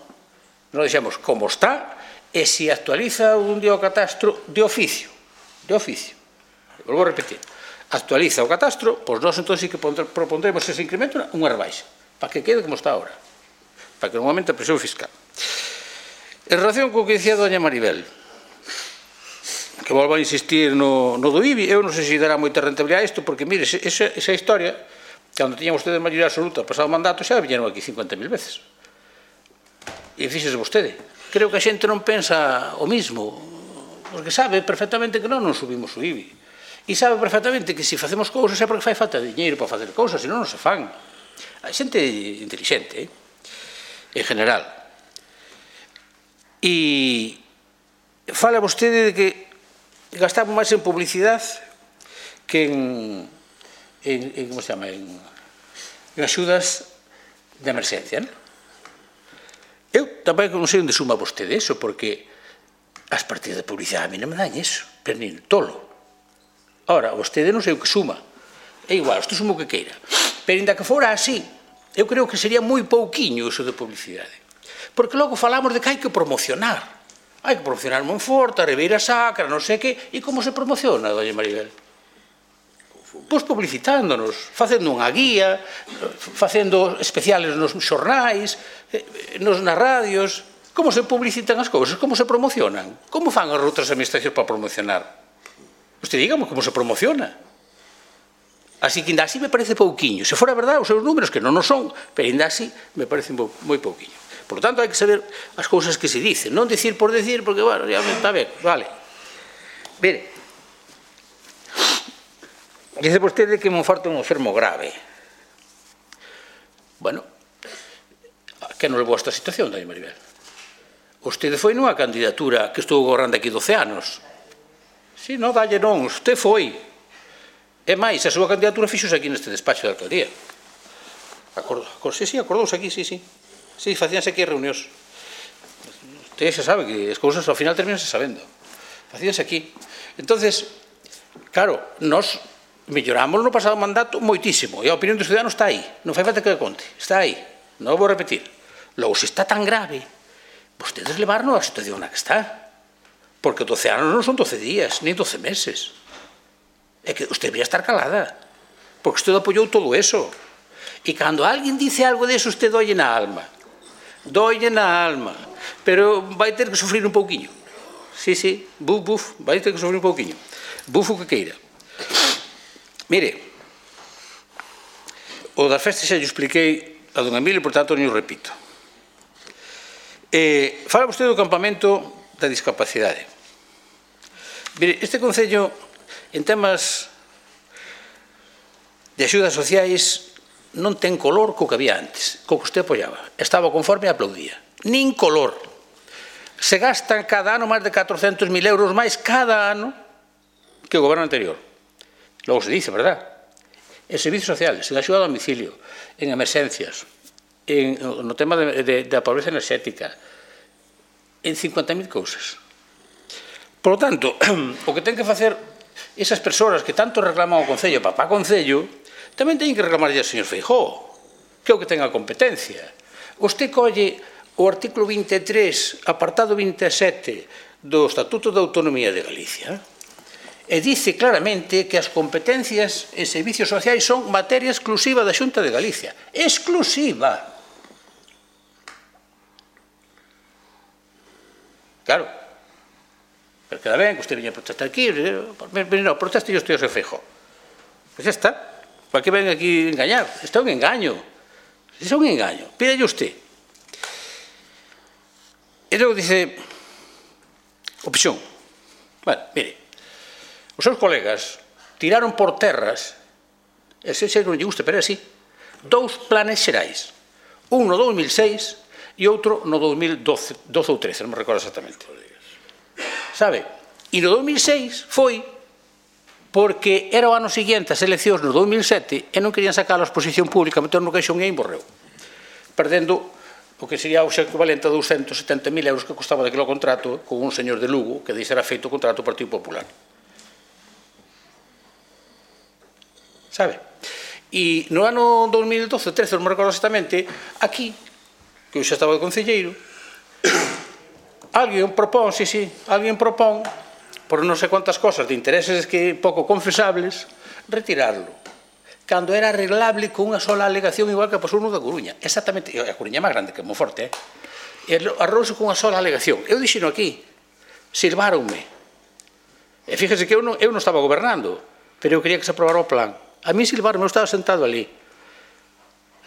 Nós dixemos como está e se actualiza un día o catastro de oficio. De oficio. Volvo a repetir. Actualiza o catastro, pois nós entón sí que propondremos ese incremento unha rebaixa, para que quede como está ahora, para que non aumente a presión fiscal. En relación co que dicía doña Maribel, que volvo a insistir no, no do I B I, eu non sei se dará moita rentabilidade a isto, porque, mire, esa, esa historia, cando tiñan ustedes maioría absoluta, pasado o mandato, xa viñeron aquí cincuenta mil veces. E fíxese vostede, creo que a xente non pensa o mismo, porque sabe perfectamente que non non subimos o I B I. E sabe perfectamente que se facemos cousas é porque fai falta de diñeiro para facer cousas, senón non se fan. A xente inteligente, eh? En general. E fala vostede de que gastamos máis en publicidade que en, en, en como se chama, en, en axudas de emerxencia, non? Eu tamén non sei onde suma vostede eso, porque as partidas de publicidade a mí non me dan eso, pero nin tolo. Ora, vostede non sei o que suma, é igual, isto suma o que queira, pero ainda que fora así, eu creo que sería moi pouquiño iso de publicidade, porque logo falamos de que hai que promocionar, hai que promocionar Monforte, a Ribeira Sacra, non sei que, e como se promociona, doña Maribel? Pois publicitándonos, facendo unha guía, facendo especiales nos xornais, nos nas radios. Como se publicitan as cousas? Como se promocionan? Como fan as outras administracións para promocionar? Usted dígame como se promociona. Así que ainda así me parece pouquiño. Se fora verdade, os seus números, que non o son, pero ainda así me parece moi pouquiño. Por lo tanto, hai que saber as cousas que se dicen, non dicir por decir, porque, bueno, ya me está ben, vale. Mire, dice vostede que Monforte é un enfermo grave. Bueno, que non levou a esta situación, doña Maribel? Vostede foi nunha candidatura que estou gobernando aquí doce anos. Si, non, dalle non, usted foi. É máis, a súa candidatura fixose aquí neste despacho de alcaldía. Acordo, sí, sí, acordouse aquí, sí, sí. Sí, facíanse aquí reunións. Usted xa sabe que as cousas ao final terminanse sabendo. Facíanse aquí. Entonces, claro, nós melloramos no pasado mandato moitísimo, e a opinión dos ciudadanos está aí. Non fai falta que a conte, está aí. Non vou repetir. Logo, se está tan grave, vostedes levarnos a situación na que está. Porque doce anos non son doce días, nin doce meses. É que usted debería estar calada, porque usted apoyou todo eso. E cando alguén dice algo deso, usted dolle na alma. Dolle na alma. Pero vai ter que sufrir un pouquiño. Sí, sí, buf, buf, vai ter que sufrir un pouquiño. Buf o que queira. Mire, o das festas xa lle expliquei a don Emilio, por tanto, non o repito. Eh, fala vostede do campamento da discapacidade. Mire, este Concello, en temas de axudas sociais, non ten color co que había antes, co que usted apoiaba. Estaba conforme e aplaudía. Nin color. Se gastan cada ano máis de catrocentos mil euros máis cada ano que o goberno anterior. Logo se dice, verdad? En servicios sociales, en axuda a domicilio, en emerxencias, en, no tema de, de, da pobreza enerxética, en cincuenta mil cousas. Por lo tanto, o que ten que facer esas persoas que tanto reclaman ao Concello, papá Concello, tamén teñen que reclamarlle ao señor Feijóo, que é o que ten a competencia. Vostede colle o artículo vinte e tres, apartado vinte e sete do Estatuto de Autonomía de Galicia, e dice claramente que as competencias en servicios sociais son materia exclusiva da Xunta de Galicia. Exclusiva. Claro. Pero queda ben que usted veña a protestar aquí, non, proteste yo estou a Feijóo. Pois xa está. Para que ven aquí engañar? Isto é un engaño. Isto é un engaño. Pídalle usted. E logo dice, opción. Bueno, mire, os seus colegas tiraron por terras, e se non lle gusta, pero é así, dous planes xerais. Un no dous mil seis e outro no dous mil doce ou trece, non me recordo exactamente. Sabe? E no dous mil seis foi porque era o ano seguinte as eleccións no dous mil sete e non querían sacar a exposición pública, meter no caixón e morreu, perdendo o que sería o equivalente a doscientos setenta mil euros que costaba daquele contrato con un señor de Lugo que deixara feito o contrato do Partido Popular. Sabe? E no ano dos mil doce, trece, non me recordo exactamente, aquí, que eu xa estaba de concelleiro, alguén propón, sí, sí, alguén propón, por non sei quantas cosas de intereses que pouco confesables, retirarlo. Cando era arreglable con unha sola alegación igual que pasou no da Coruña. Exactamente, a Coruña é máis grande que Monforte, eh? Arrouse con unha sola alegación. Eu dixeno aquí, silváronme. E fíjese que eu non, eu non estaba gobernando, pero eu quería que se aprobara o plan. A mí silvaronme, eu estaba sentado ali.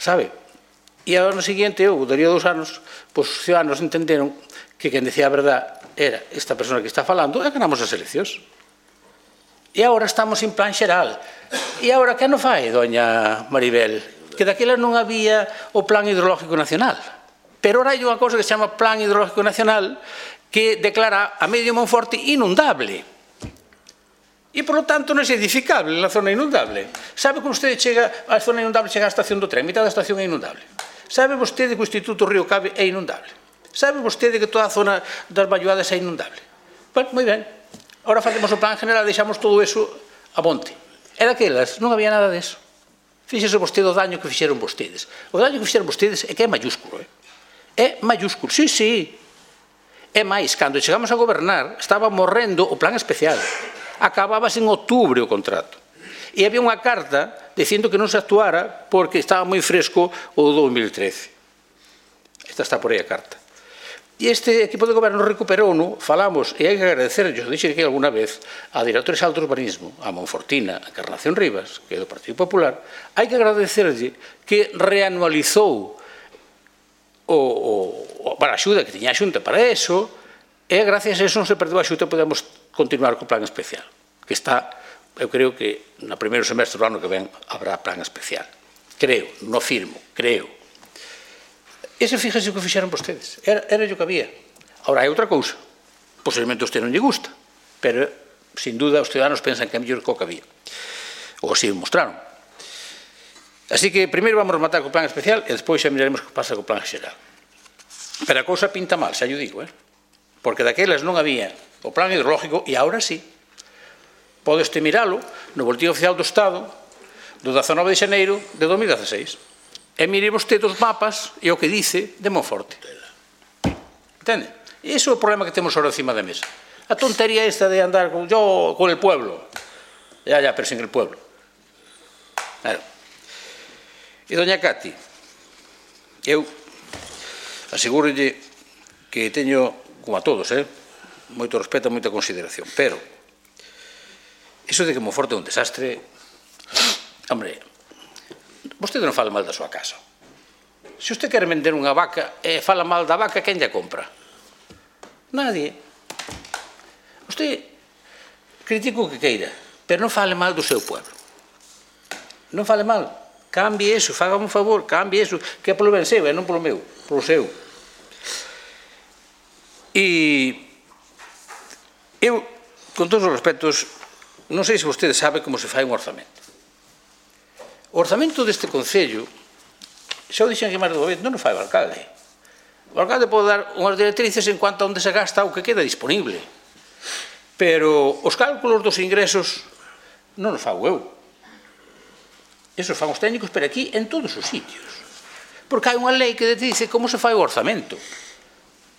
Sabe? E ao ano seguinte, eu, daría dous anos, pois os ciudadanos entenderon que quen decía a verdade era esta persona que está falando e ganamos as eleccións. E agora estamos en plan xeral. E agora que non fai, doña Maribel? Que daquela non había o Plan Hidrológico Nacional. Pero ahora hai unha cosa que se chama Plan Hidrológico Nacional que declara a medio Monforte inundable. E, por lo tanto, non é edificable na zona inundable. Sabe que vostede chega á zona inundable, chega á estación do tren, mitad da estación é inundable. Sabe vostede que o Instituto Río Cabe é inundable. Sabe vostede que toda a zona das Valluadas é inundable. Bueno, moi ben. Ahora facemos o plan general, deixamos todo eso a monte. E daquelas non había nada deso. Fíxese vostede o daño que fixeron vostedes. O daño que fixeron vostedes é que é mayúsculo. Eh? É mayúsculo, sí, sí. É máis, cando chegamos a gobernar, estaba morrendo o plan especial. Acabábase en outubro o contrato. E había unha carta dicindo que non se actuara porque estaba moi fresco o dos mil trece. Esta está por aí a carta. E este equipo de goberno recuperouno, falamos, e hai que agradecerlle, dixen que alguna vez, a directora xeral do urbanismo, a Monfortina, a Encarnación Rivas, que é do Partido Popular, hai que agradecerlle que reanualizou o, o, para a axuda que tiña a Xunta para eso, e gracias a eso non se perdeu a Xunta e podemos continuar co plan especial, que está, eu creo que no primeiro semestre do ano que ven habrá plan especial. Creo, non firmo, creo. Ese, fíjese o que fixeron vostedes. Era, era o que había. Ahora, hai outra cousa. Posiblemente a usted non lle gusta, pero, sin duda, os ciudadanos pensan que é mellor que o que había. Ou así o mostraron. Así que, primeiro vamos rematar co plan especial e despois xa miraremos que pasa co plan xeral. Pero a cousa pinta mal, xa yo digo, eh? Porque daquelas non había o plan hidrológico e agora sí. Podeste miralo no Boletín Oficial do Estado do dezanove de xaneiro de dos mil dieciséis. E mire vostede os mapas e o que dice de Monforte. Entende? E iso é o problema que temos ahora encima da mesa. A tontería esta de andar con yo, con el pueblo. Ya, ya, pero sin el pueblo. Claro. E doña Cati, eu asegúrolle que teño, como a todos, eh, moito respeto e moita consideración, pero iso de que Monforte é un desastre, hombre, vostede non fala mal da súa casa. Se usted quer vender unha vaca e fala mal da vaca, quen lla compra? Nadie. Usted critica o que queira, pero non fale mal do seu pueblo. Non fale mal. Cambie eso, fágame un favor, cambie eso, que é polo ben seu, e non polo meu, polo seu. E eu, con todos os respetos, non sei se vostede sabe como se fai un orzamento. O orzamento deste Concello, xa o dixen que máis do momento, non o fai o alcalde. O alcalde pode dar unhas directrices en cuanto a onde se gasta o que queda disponible. Pero os cálculos dos ingresos non os fago eu. Esos fan os técnicos, pero aquí en todos os sitios. Porque hai unha lei que dice como se fai o orzamento.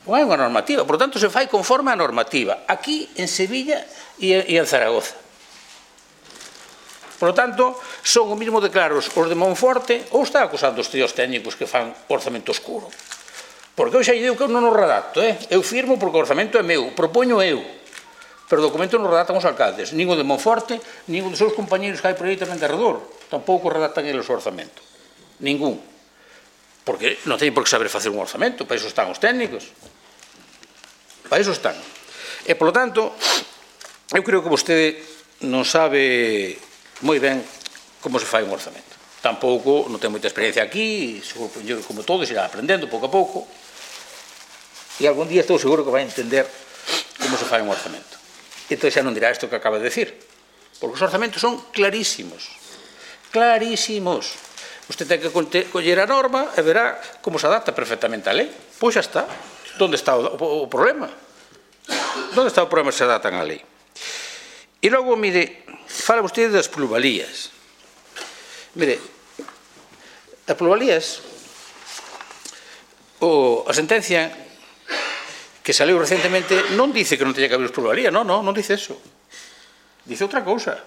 Non hai unha normativa, por tanto se fai conforme a normativa. Aquí, en Sevilla e en Zaragoza. Por lo tanto, son o mismo de claros os de Monforte ou está acusando os tíos técnicos que fan orzamento oscuro. Porque eu xa lle digo que eu non o redacto, eh? Eu firmo porque o orzamento é meu, propoño eu. Pero o documento non o redactan os alcaldes, nin o de Monforte, nin o dos seus compañeros que hai por aí tamén de arredor. Tampouco redactan eles o orzamento. Ningún. Porque non teñen por que saber facer un orzamento, para iso están os técnicos. Para iso están. E, por lo tanto, eu creo que vostede non sabe moi ben como se fai un orzamento. Tampouco non ten moita experiencia aquí, eu, como todos, irá aprendendo pouco a pouco, e algún día estou seguro que vai entender como se fai un orzamento. Entón xa non dirá isto que acaba de decir, porque os orzamentos son clarísimos, clarísimos. Usted ten que coller a norma e verá como se adapta perfectamente á lei. Pois xa está. Onde está o, o, o problema? Onde está o problema se adaptan á lei? E logo, mire, fala vostede das plusvalías. Mire, as plusvalías, o, a sentencia que saliu recentemente non dice que non teña que haber plusvalía, non, non, non dice eso. Dice outra cousa.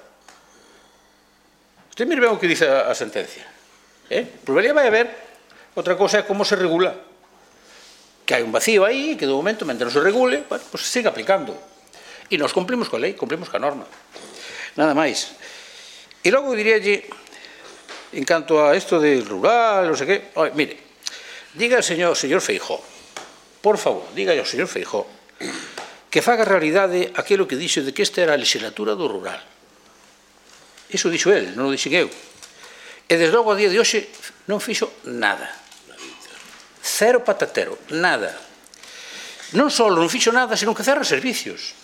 Usted mire ben o que dice a, a sentencia. Eh? Plusvalía vai haber, outra cousa é como se regula. Que hai un vacío aí, que de momento, mentre non se regule, bueno, pues se siga aplicando. E nos cumplimos coa lei, cumplimos coa norma. Nada máis. E logo diríalle, en canto a isto de rural, non sei que, oye, mire, diga ao señor, señor Feijóo, por favor, diga ao señor Feijóo, que faga realidade aquilo que dixo de que esta era a legislatura do rural. Iso dixo el, non o dixen eu. E desde logo a día de hoxe non fixo nada. Cero patatero, nada. Non só non fixo nada, senón que cerra servicios.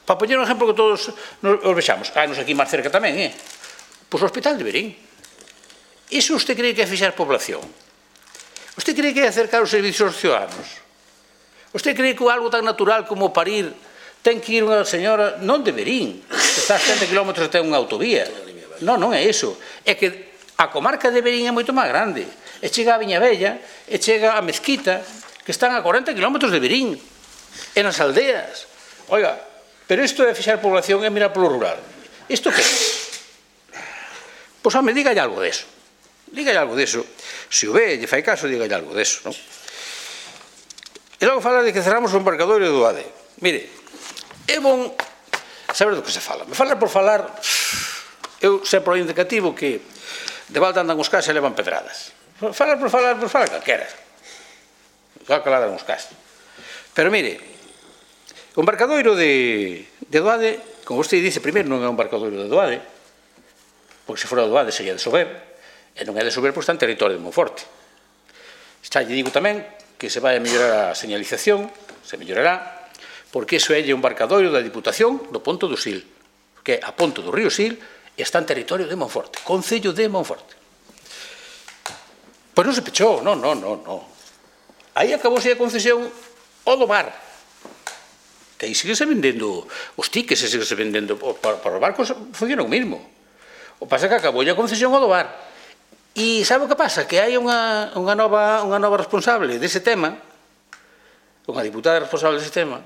Para poñer un exemplo que todos os vexamos. Ah, nos aquí máis cerca tamén, eh? Pois o Hospital de Verín. Iso usted cree que é fixar población? Usted cree que é acercar os servicios aos ciudadanos? Usted cree que algo tan natural como parir ten que ir unha señora, non de Verín, que está a setenta kilómetros e ten unha autovía? Non, non é iso. É que a comarca de Verín é moito máis grande. E chega a Viñabella, e chega a Mezquita, que están a corenta kilómetros de Verín, e nas aldeas. Oiga, pero isto é fixar población e mirar polo rural. Isto que é? Pois, home, dígalle algo deso. Dígalle algo deso. Se o ve, lle fai caso, dígalle algo deso, non? E logo fala de que cerramos o embarcadoiro do A D E. Mire, é bon saber do que se fala. Me fala por falar... Eu sempre o indicativo que de volta andan os cas e levan pedradas. Falar por falar, por falar calquera. Só que lá dan os cas. Pero mire, o embarcadoiro de, de Doade, como vostede dice, primeiro non é un embarcadoiro de Doade, porque se fora de Doade sería de Sober, e non é de Sober porque está en territorio de Monforte. Xa lle digo tamén que se vai a mellorar a señalización, se mellorará, porque iso é un embarcadoiro da Diputación do Ponto do Sil, que é a ponto do río Sil, está en territorio de Monforte, Concello de Monforte. Pois non se pechou, non, non, non, non. Aí acabouse a concesión ao do mar. Que aí sigue se vendendo os tickets, sigue se vendendo para, para os barcos, funciona o mismo. O pasa que acabou a concesión ao do mar. E sabe o que pasa? Que hai unha, unha, nova, unha nova responsable dese tema, unha diputada responsable dese tema,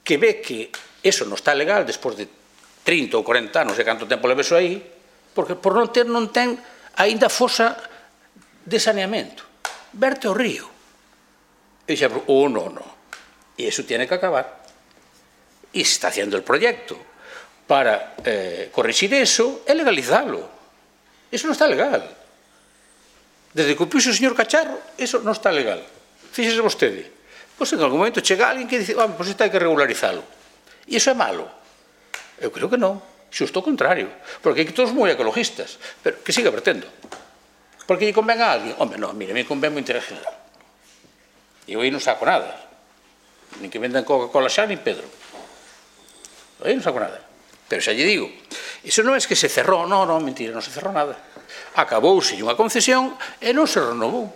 que ve que eso non está legal despois de trinta ou cuarenta anos, e canto tempo leve eso aí, porque por non ter non ten aínda fosa de saneamento. Verte o río. E xa, oh, no, no. E iso tiene que acabar. E se está haciendo el proyecto para eh, corregir eso e legalizarlo. Eso non está legal. Desde que o puxo o señor Cacharro, eso non está legal. Fíxese vostede. Pois en algún momento chega alguén que dice, ah, pois isto hai que regularizalo. E iso é malo. Eu creo que non, xusto o contrario, porque aquí todos moi ecologistas, pero que siga vertendo. Porque lle convén a alguén? Home, non, mire, me convén o interés general. E eu aí non saco nada. Nin que vendan Coca-Cola xa, nin Pedro. Eu aí non saco nada. Pero xa lle digo, iso non é que se cerrou, non, non, mentira, non se cerrou nada. Acabouse unha concesión e non se renovou.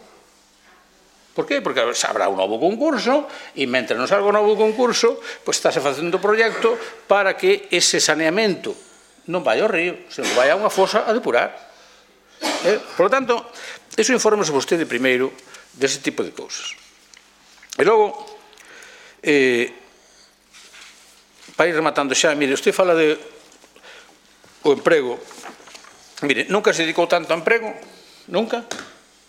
Por qué? Porque habrá un novo concurso e mentre non salga un novo concurso, pois estáse facendo o proxecto para que ese saneamento non vai ao río, senón vai a unha fosa a depurar. Eh? Por lo tanto, iso infórmese vostede primeiro dese tipo de cousas. E logo, eh, para ir rematando xa, mire, usted fala de o emprego. Mire, nunca se dedicou tanto ao emprego, nunca,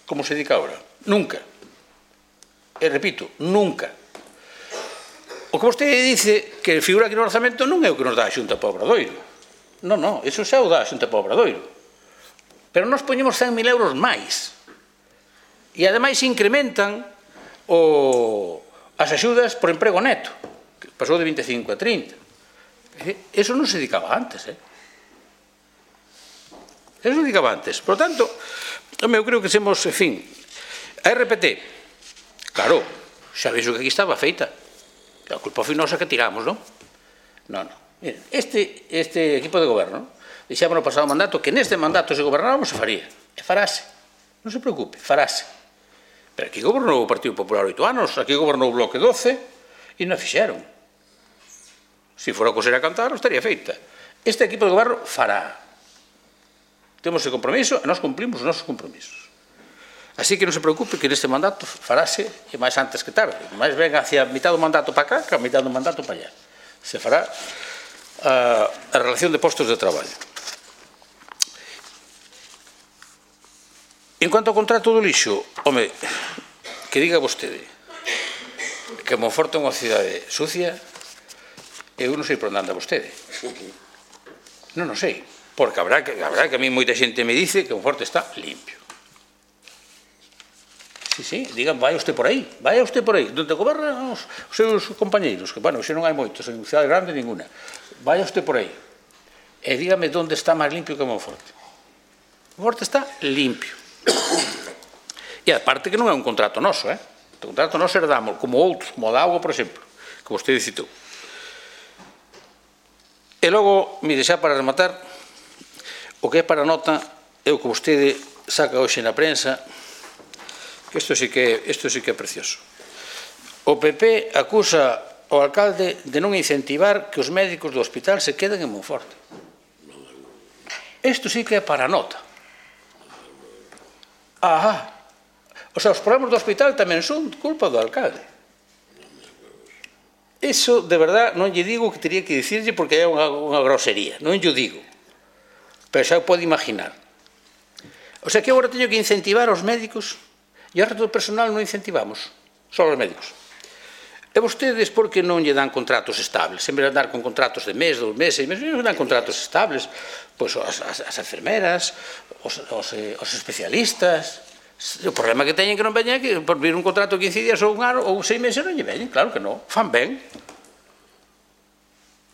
como se dedica agora. Nunca. E repito, nunca. O que vostede dice que figura aquí no orzamento non é o que nos dá a Xunta para o Obradoiro. Non, non, iso xa o dá a Xunta para o Obradoiro. Pero nós poñemos cen mil euros máis. E ademais incrementan o, as axudas por emprego neto, que pasou de vinte e cinco a trinta. Eso non se dedicaba antes, eh? Eso se dedicaba antes. Por tanto, eu creo que semos, en fin, a R P T. Claro, xa vexo que aquí estaba feita. A culpa foi nosa que tiramos, non? Non, non. Este, este equipo de goberno dixemos no pasado mandato que neste mandato se gobernáramos se faría. E farase. Non se preocupe, farase. Pero aquí gobernou o Partido Popular oito anos, aquí gobernou o Bloque doce e non fixeron. Se fora a coser a cantar, estaría feita. Este equipo de goberno fará. Temos ese compromiso e nós cumplimos os nosos compromisos. Así que non se preocupe que neste mandato farase, e máis antes que tarde, máis ben hacia a mitad do mandato para cá que a mitad do mandato para allá. Se fará a, a relación de postos de traballo. En cuanto ao contrato do lixo, home, que diga vostede que Monforte é unha cidade sucia, eu non sei por onde anda vostede. Non o sei, porque habrá que, habrá que a mí moita xente me dice que Monforte está limpio. Sí, sí, digan, vai usted por aí, vai usted por aí, donde gobernan os seus compañeiros, que, bueno, xe non hai moitos, en cidade grande ninguna. Vai usted por aí e dígame onde está máis limpio que Monforte. Monforte está limpio. E aparte que non é un contrato noso, eh? O contrato noso herdamos, como outros, como o da auga, por exemplo, que vostede citou. E logo, mire, xa para rematar, o que é para nota é o que vostede saca hoxe na prensa. Isto sí que, isto sí que é precioso. O P P acusa ao alcalde de non incentivar que os médicos do hospital se queden en Monforte. Isto sí que é para nota. Ajá. O sea, os problemas do hospital tamén son culpa do alcalde. Iso, de verdad, non lle digo que teria que dicirlle porque é unha, unha grosería. Non lle digo. Pero xa o pode imaginar. O sea, que agora teño que incentivar aos médicos. E o resto do personal non incentivamos, só os médicos. E vostedes, por que non lle dan contratos estables? En vez de andar con contratos de mes, dos meses, seis meses, non dan contratos estables. Pois as, as, as enfermeras, os, os, os especialistas. O problema que teñen que non veñen que por vir un contrato de quince días ou un ano ou seis meses non lle veñen, claro que non, fan ben.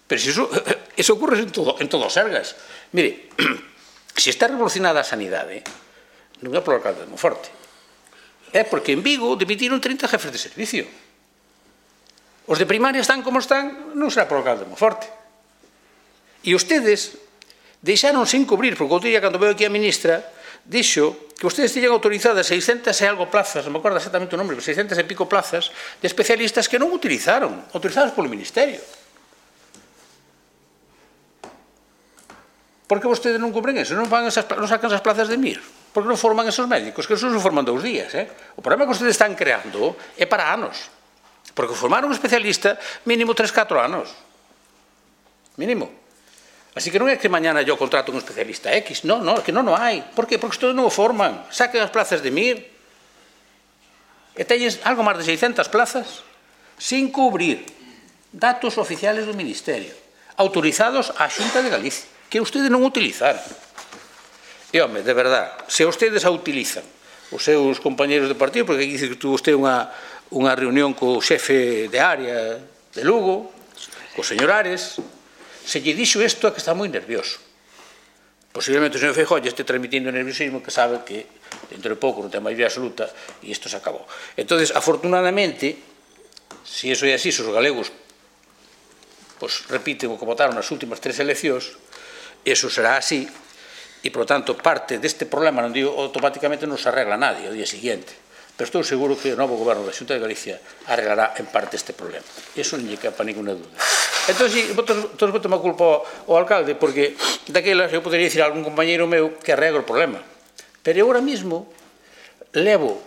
Pero se iso, iso ocurre en todo, en todo os Sergas. Mire, se está revolucionada a sanidade, non é polo alcalde de Monforte. É porque en Vigo dimitiron trinta jefes de servicio. Os de primaria están como están, non será por o alcalde de Monforte. E ustedes deixaron sin cubrir, porque outro día, cando veo aquí a ministra, dixo que ustedes tiñan autorizadas seiscentas e algo plazas, non me acordo exactamente o nombre, pero seiscentas e pico plazas de especialistas que non utilizaron, autorizadas polo Ministerio. Por que vostedes non cubren eso? Non, van esas, non sacan esas plazas de M I R? Por que non forman esos médicos? Que esos non forman dous días, eh? O problema que ustedes están creando é para anos. Porque formaron un especialista mínimo tres, catro anos. Mínimo. Así que non é que mañana yo contrato un especialista X. Non, non, é que non o hai. Por que? Porque ustedes non o forman. Saquen as plazas de M I R. E teñen algo máis de seiscentas plazas sin cubrir. Datos oficiales do Ministerio. Autorizados á Xunta de Galicia. Que ustedes non utilizaron. E, home, de verdad, se ustedes a utilizan os seus compañeros de partido, porque aquí dice que tuvo usted unha, unha reunión co xefe de área de Lugo, co señor Ares, se lle dixo isto é que está moi nervioso. Posiblemente o señor Feijóo lle este transmitindo nerviosismo que sabe que dentro de pouco non ten maioría absoluta e isto se acabou. Entonces, afortunadamente, se iso é así, se os galegos pues, repiten o que votaron nas últimas tres eleccións, iso será así, e, por tanto, parte deste problema, non digo automáticamente, non se arregla nadie ao día seguinte, pero estou seguro que o novo goberno da Xunta de Galicia arreglará en parte este problema. Iso non lle quepa ninguna dúda. Entón, si, todos botan a culpa ao alcalde, porque daquelas eu poderia dicir a algún compañeiro meu que arregla o problema. Pero eu ahora mismo levo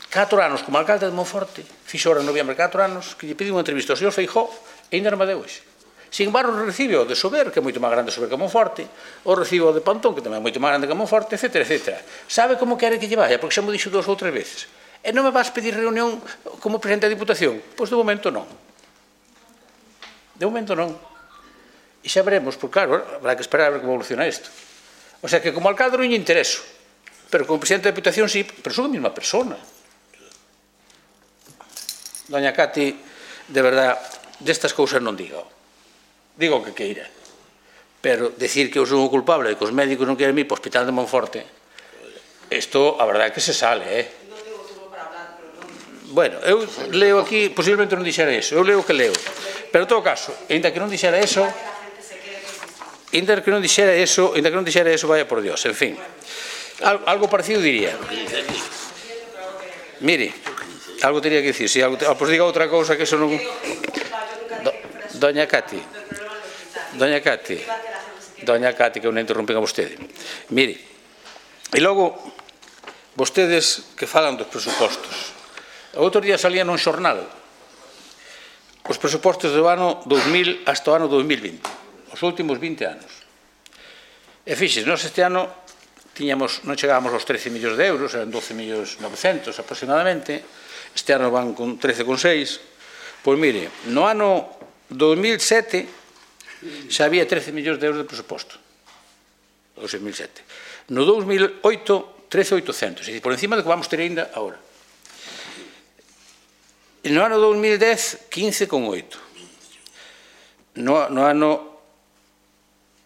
catro anos como alcalde de Monforte, fixo ahora en noviembre catro anos, que lle pedi unha entrevista ao señor Feijóo e ainda non me deu hoxe. Sin embargo, recibe o de Sober, que é moito máis grande Sober que Monforte, o recibe o de Pantón, que tamén é moito máis grande que Monforte, etcétera, etcétera. Sabe como quere que lle vaya? Porque xa mo dixo dúas ou tres veces. E non me vas pedir reunión como presidente da Diputación? Pois de momento non. De momento non. E xa veremos, porque claro, habrá que esperar a ver como evoluciona isto. O sea que como alcalde non lle intereso, pero como presidente da Diputación sí, pero son a mesma persona. Doña Cati, de verdad, destas cousas non diga. Digo o que queira, pero decir que eu son o culpable de que os médicos non queren ir para o Hospital de Monforte, isto, a verdade é que se sale, eh? Bueno, eu leo aquí, posiblemente non dixera iso, eu leo o que leo, pero en todo caso, ainda que non dixera iso, ainda que non dixera iso, ainda que non dixera iso, vaya por Dios, en fin, algo parecido diría. Mire, algo teria que dicir, se pois diga outra cousa que eso non... Doña Cati, Doña Cati, Doña Cati, que non interrompen a vostede. Mire, E logo, vostedes que falan dos presupostos. O outro día salía nun xornal os presupostos do ano dous mil hasta o ano dous mil vinte, os últimos vinte anos. E fixes, nós este ano tiñamos, non chegábamos aos trece millóns de euros, eran doce millóns novecentos aproximadamente, este ano van con trece con seis. Pois mire, no ano dous mil sete xa había trece millóns de euros de presuposto, o seis mil sete. No dous mil oito, trece mil oitocentos, é dicir, por encima do que vamos ter ainda agora. E no ano dous mil dez, quince con oito. No, no ano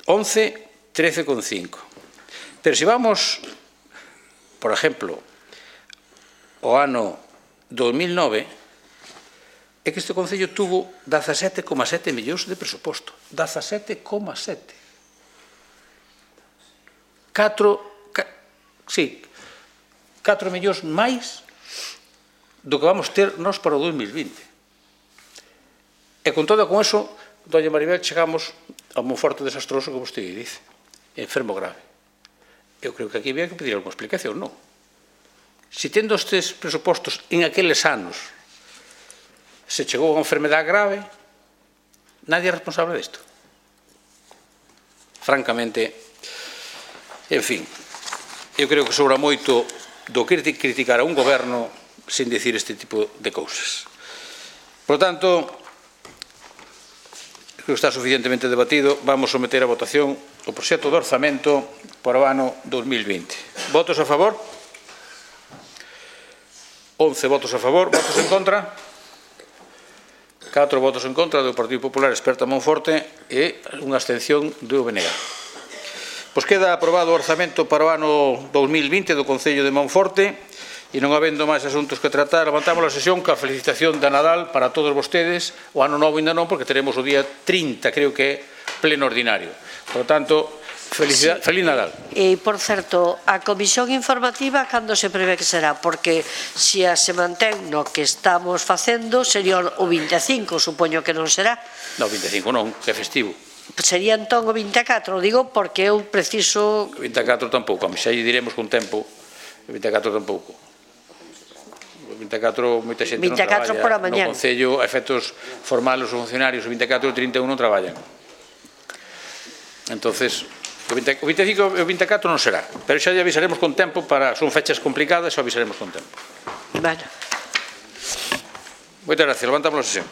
once, trece con cinco. Pero se vamos, por exemplo, ao ano dous mil nove, é que este Concello tuvo dezasete coma sete millóns de presuposto. dezasete coma sete. Catro, ca, sí, catro millóns máis do que vamos ter nós para o dous mil vinte. E con todo con eso, doña Maribel, chegamos a un forte desastroso, como vostede dice, enfermo grave. Eu creo que aquí había que pedir alguna explicación, non? Se tendo estes presupostos en aqueles anos se chegou a unha enfermedade grave, nadie é responsable disto. Francamente, en fin, eu creo que sobra moito do criticar a un goberno sin dicir este tipo de cousas. Por tanto, creo que está suficientemente debatido. Vamos someter a votación o proxecto de orzamento para o ano dous mil vinte. Votos a favor? once votos a favor. Votos en contra? catro votos en contra do Partido Popular Experta Monforte e unha abstención do B N G. Pois queda aprobado o orzamento para o ano dous mil vinte do Concello de Monforte e non habendo máis asuntos que tratar, levantamos a sesión ca felicitación da Nadal para todos vostedes. O ano novo ainda non, porque teremos o día trinta, creo que é pleno ordinario. Por lo tanto, felicidade, sí. Feliz Nadal. E, por certo, a comisión informativa cando se prevé que será? Porque se a se mantén no que estamos facendo, sería o vinte e cinco, supoño que non será. Non, vinte e cinco non, que é festivo. Sería entón o vinte e catro, digo, porque eu preciso... O vinte e catro tampouco, a mí xa lle diremos con tempo, o vinte e catro tampouco. O vinte e catro, moita xente non traballa no Concello, a efectos formales, os funcionarios, o vinte e catro e o trinta e un non traballan. Entonces, o vinte e cinco e o vinte e catro non será, pero xa lle avisaremos con tempo, para son fechas complicadas, xa avisaremos con tempo. Bueno. Moitas gracias, levantamos a sesión.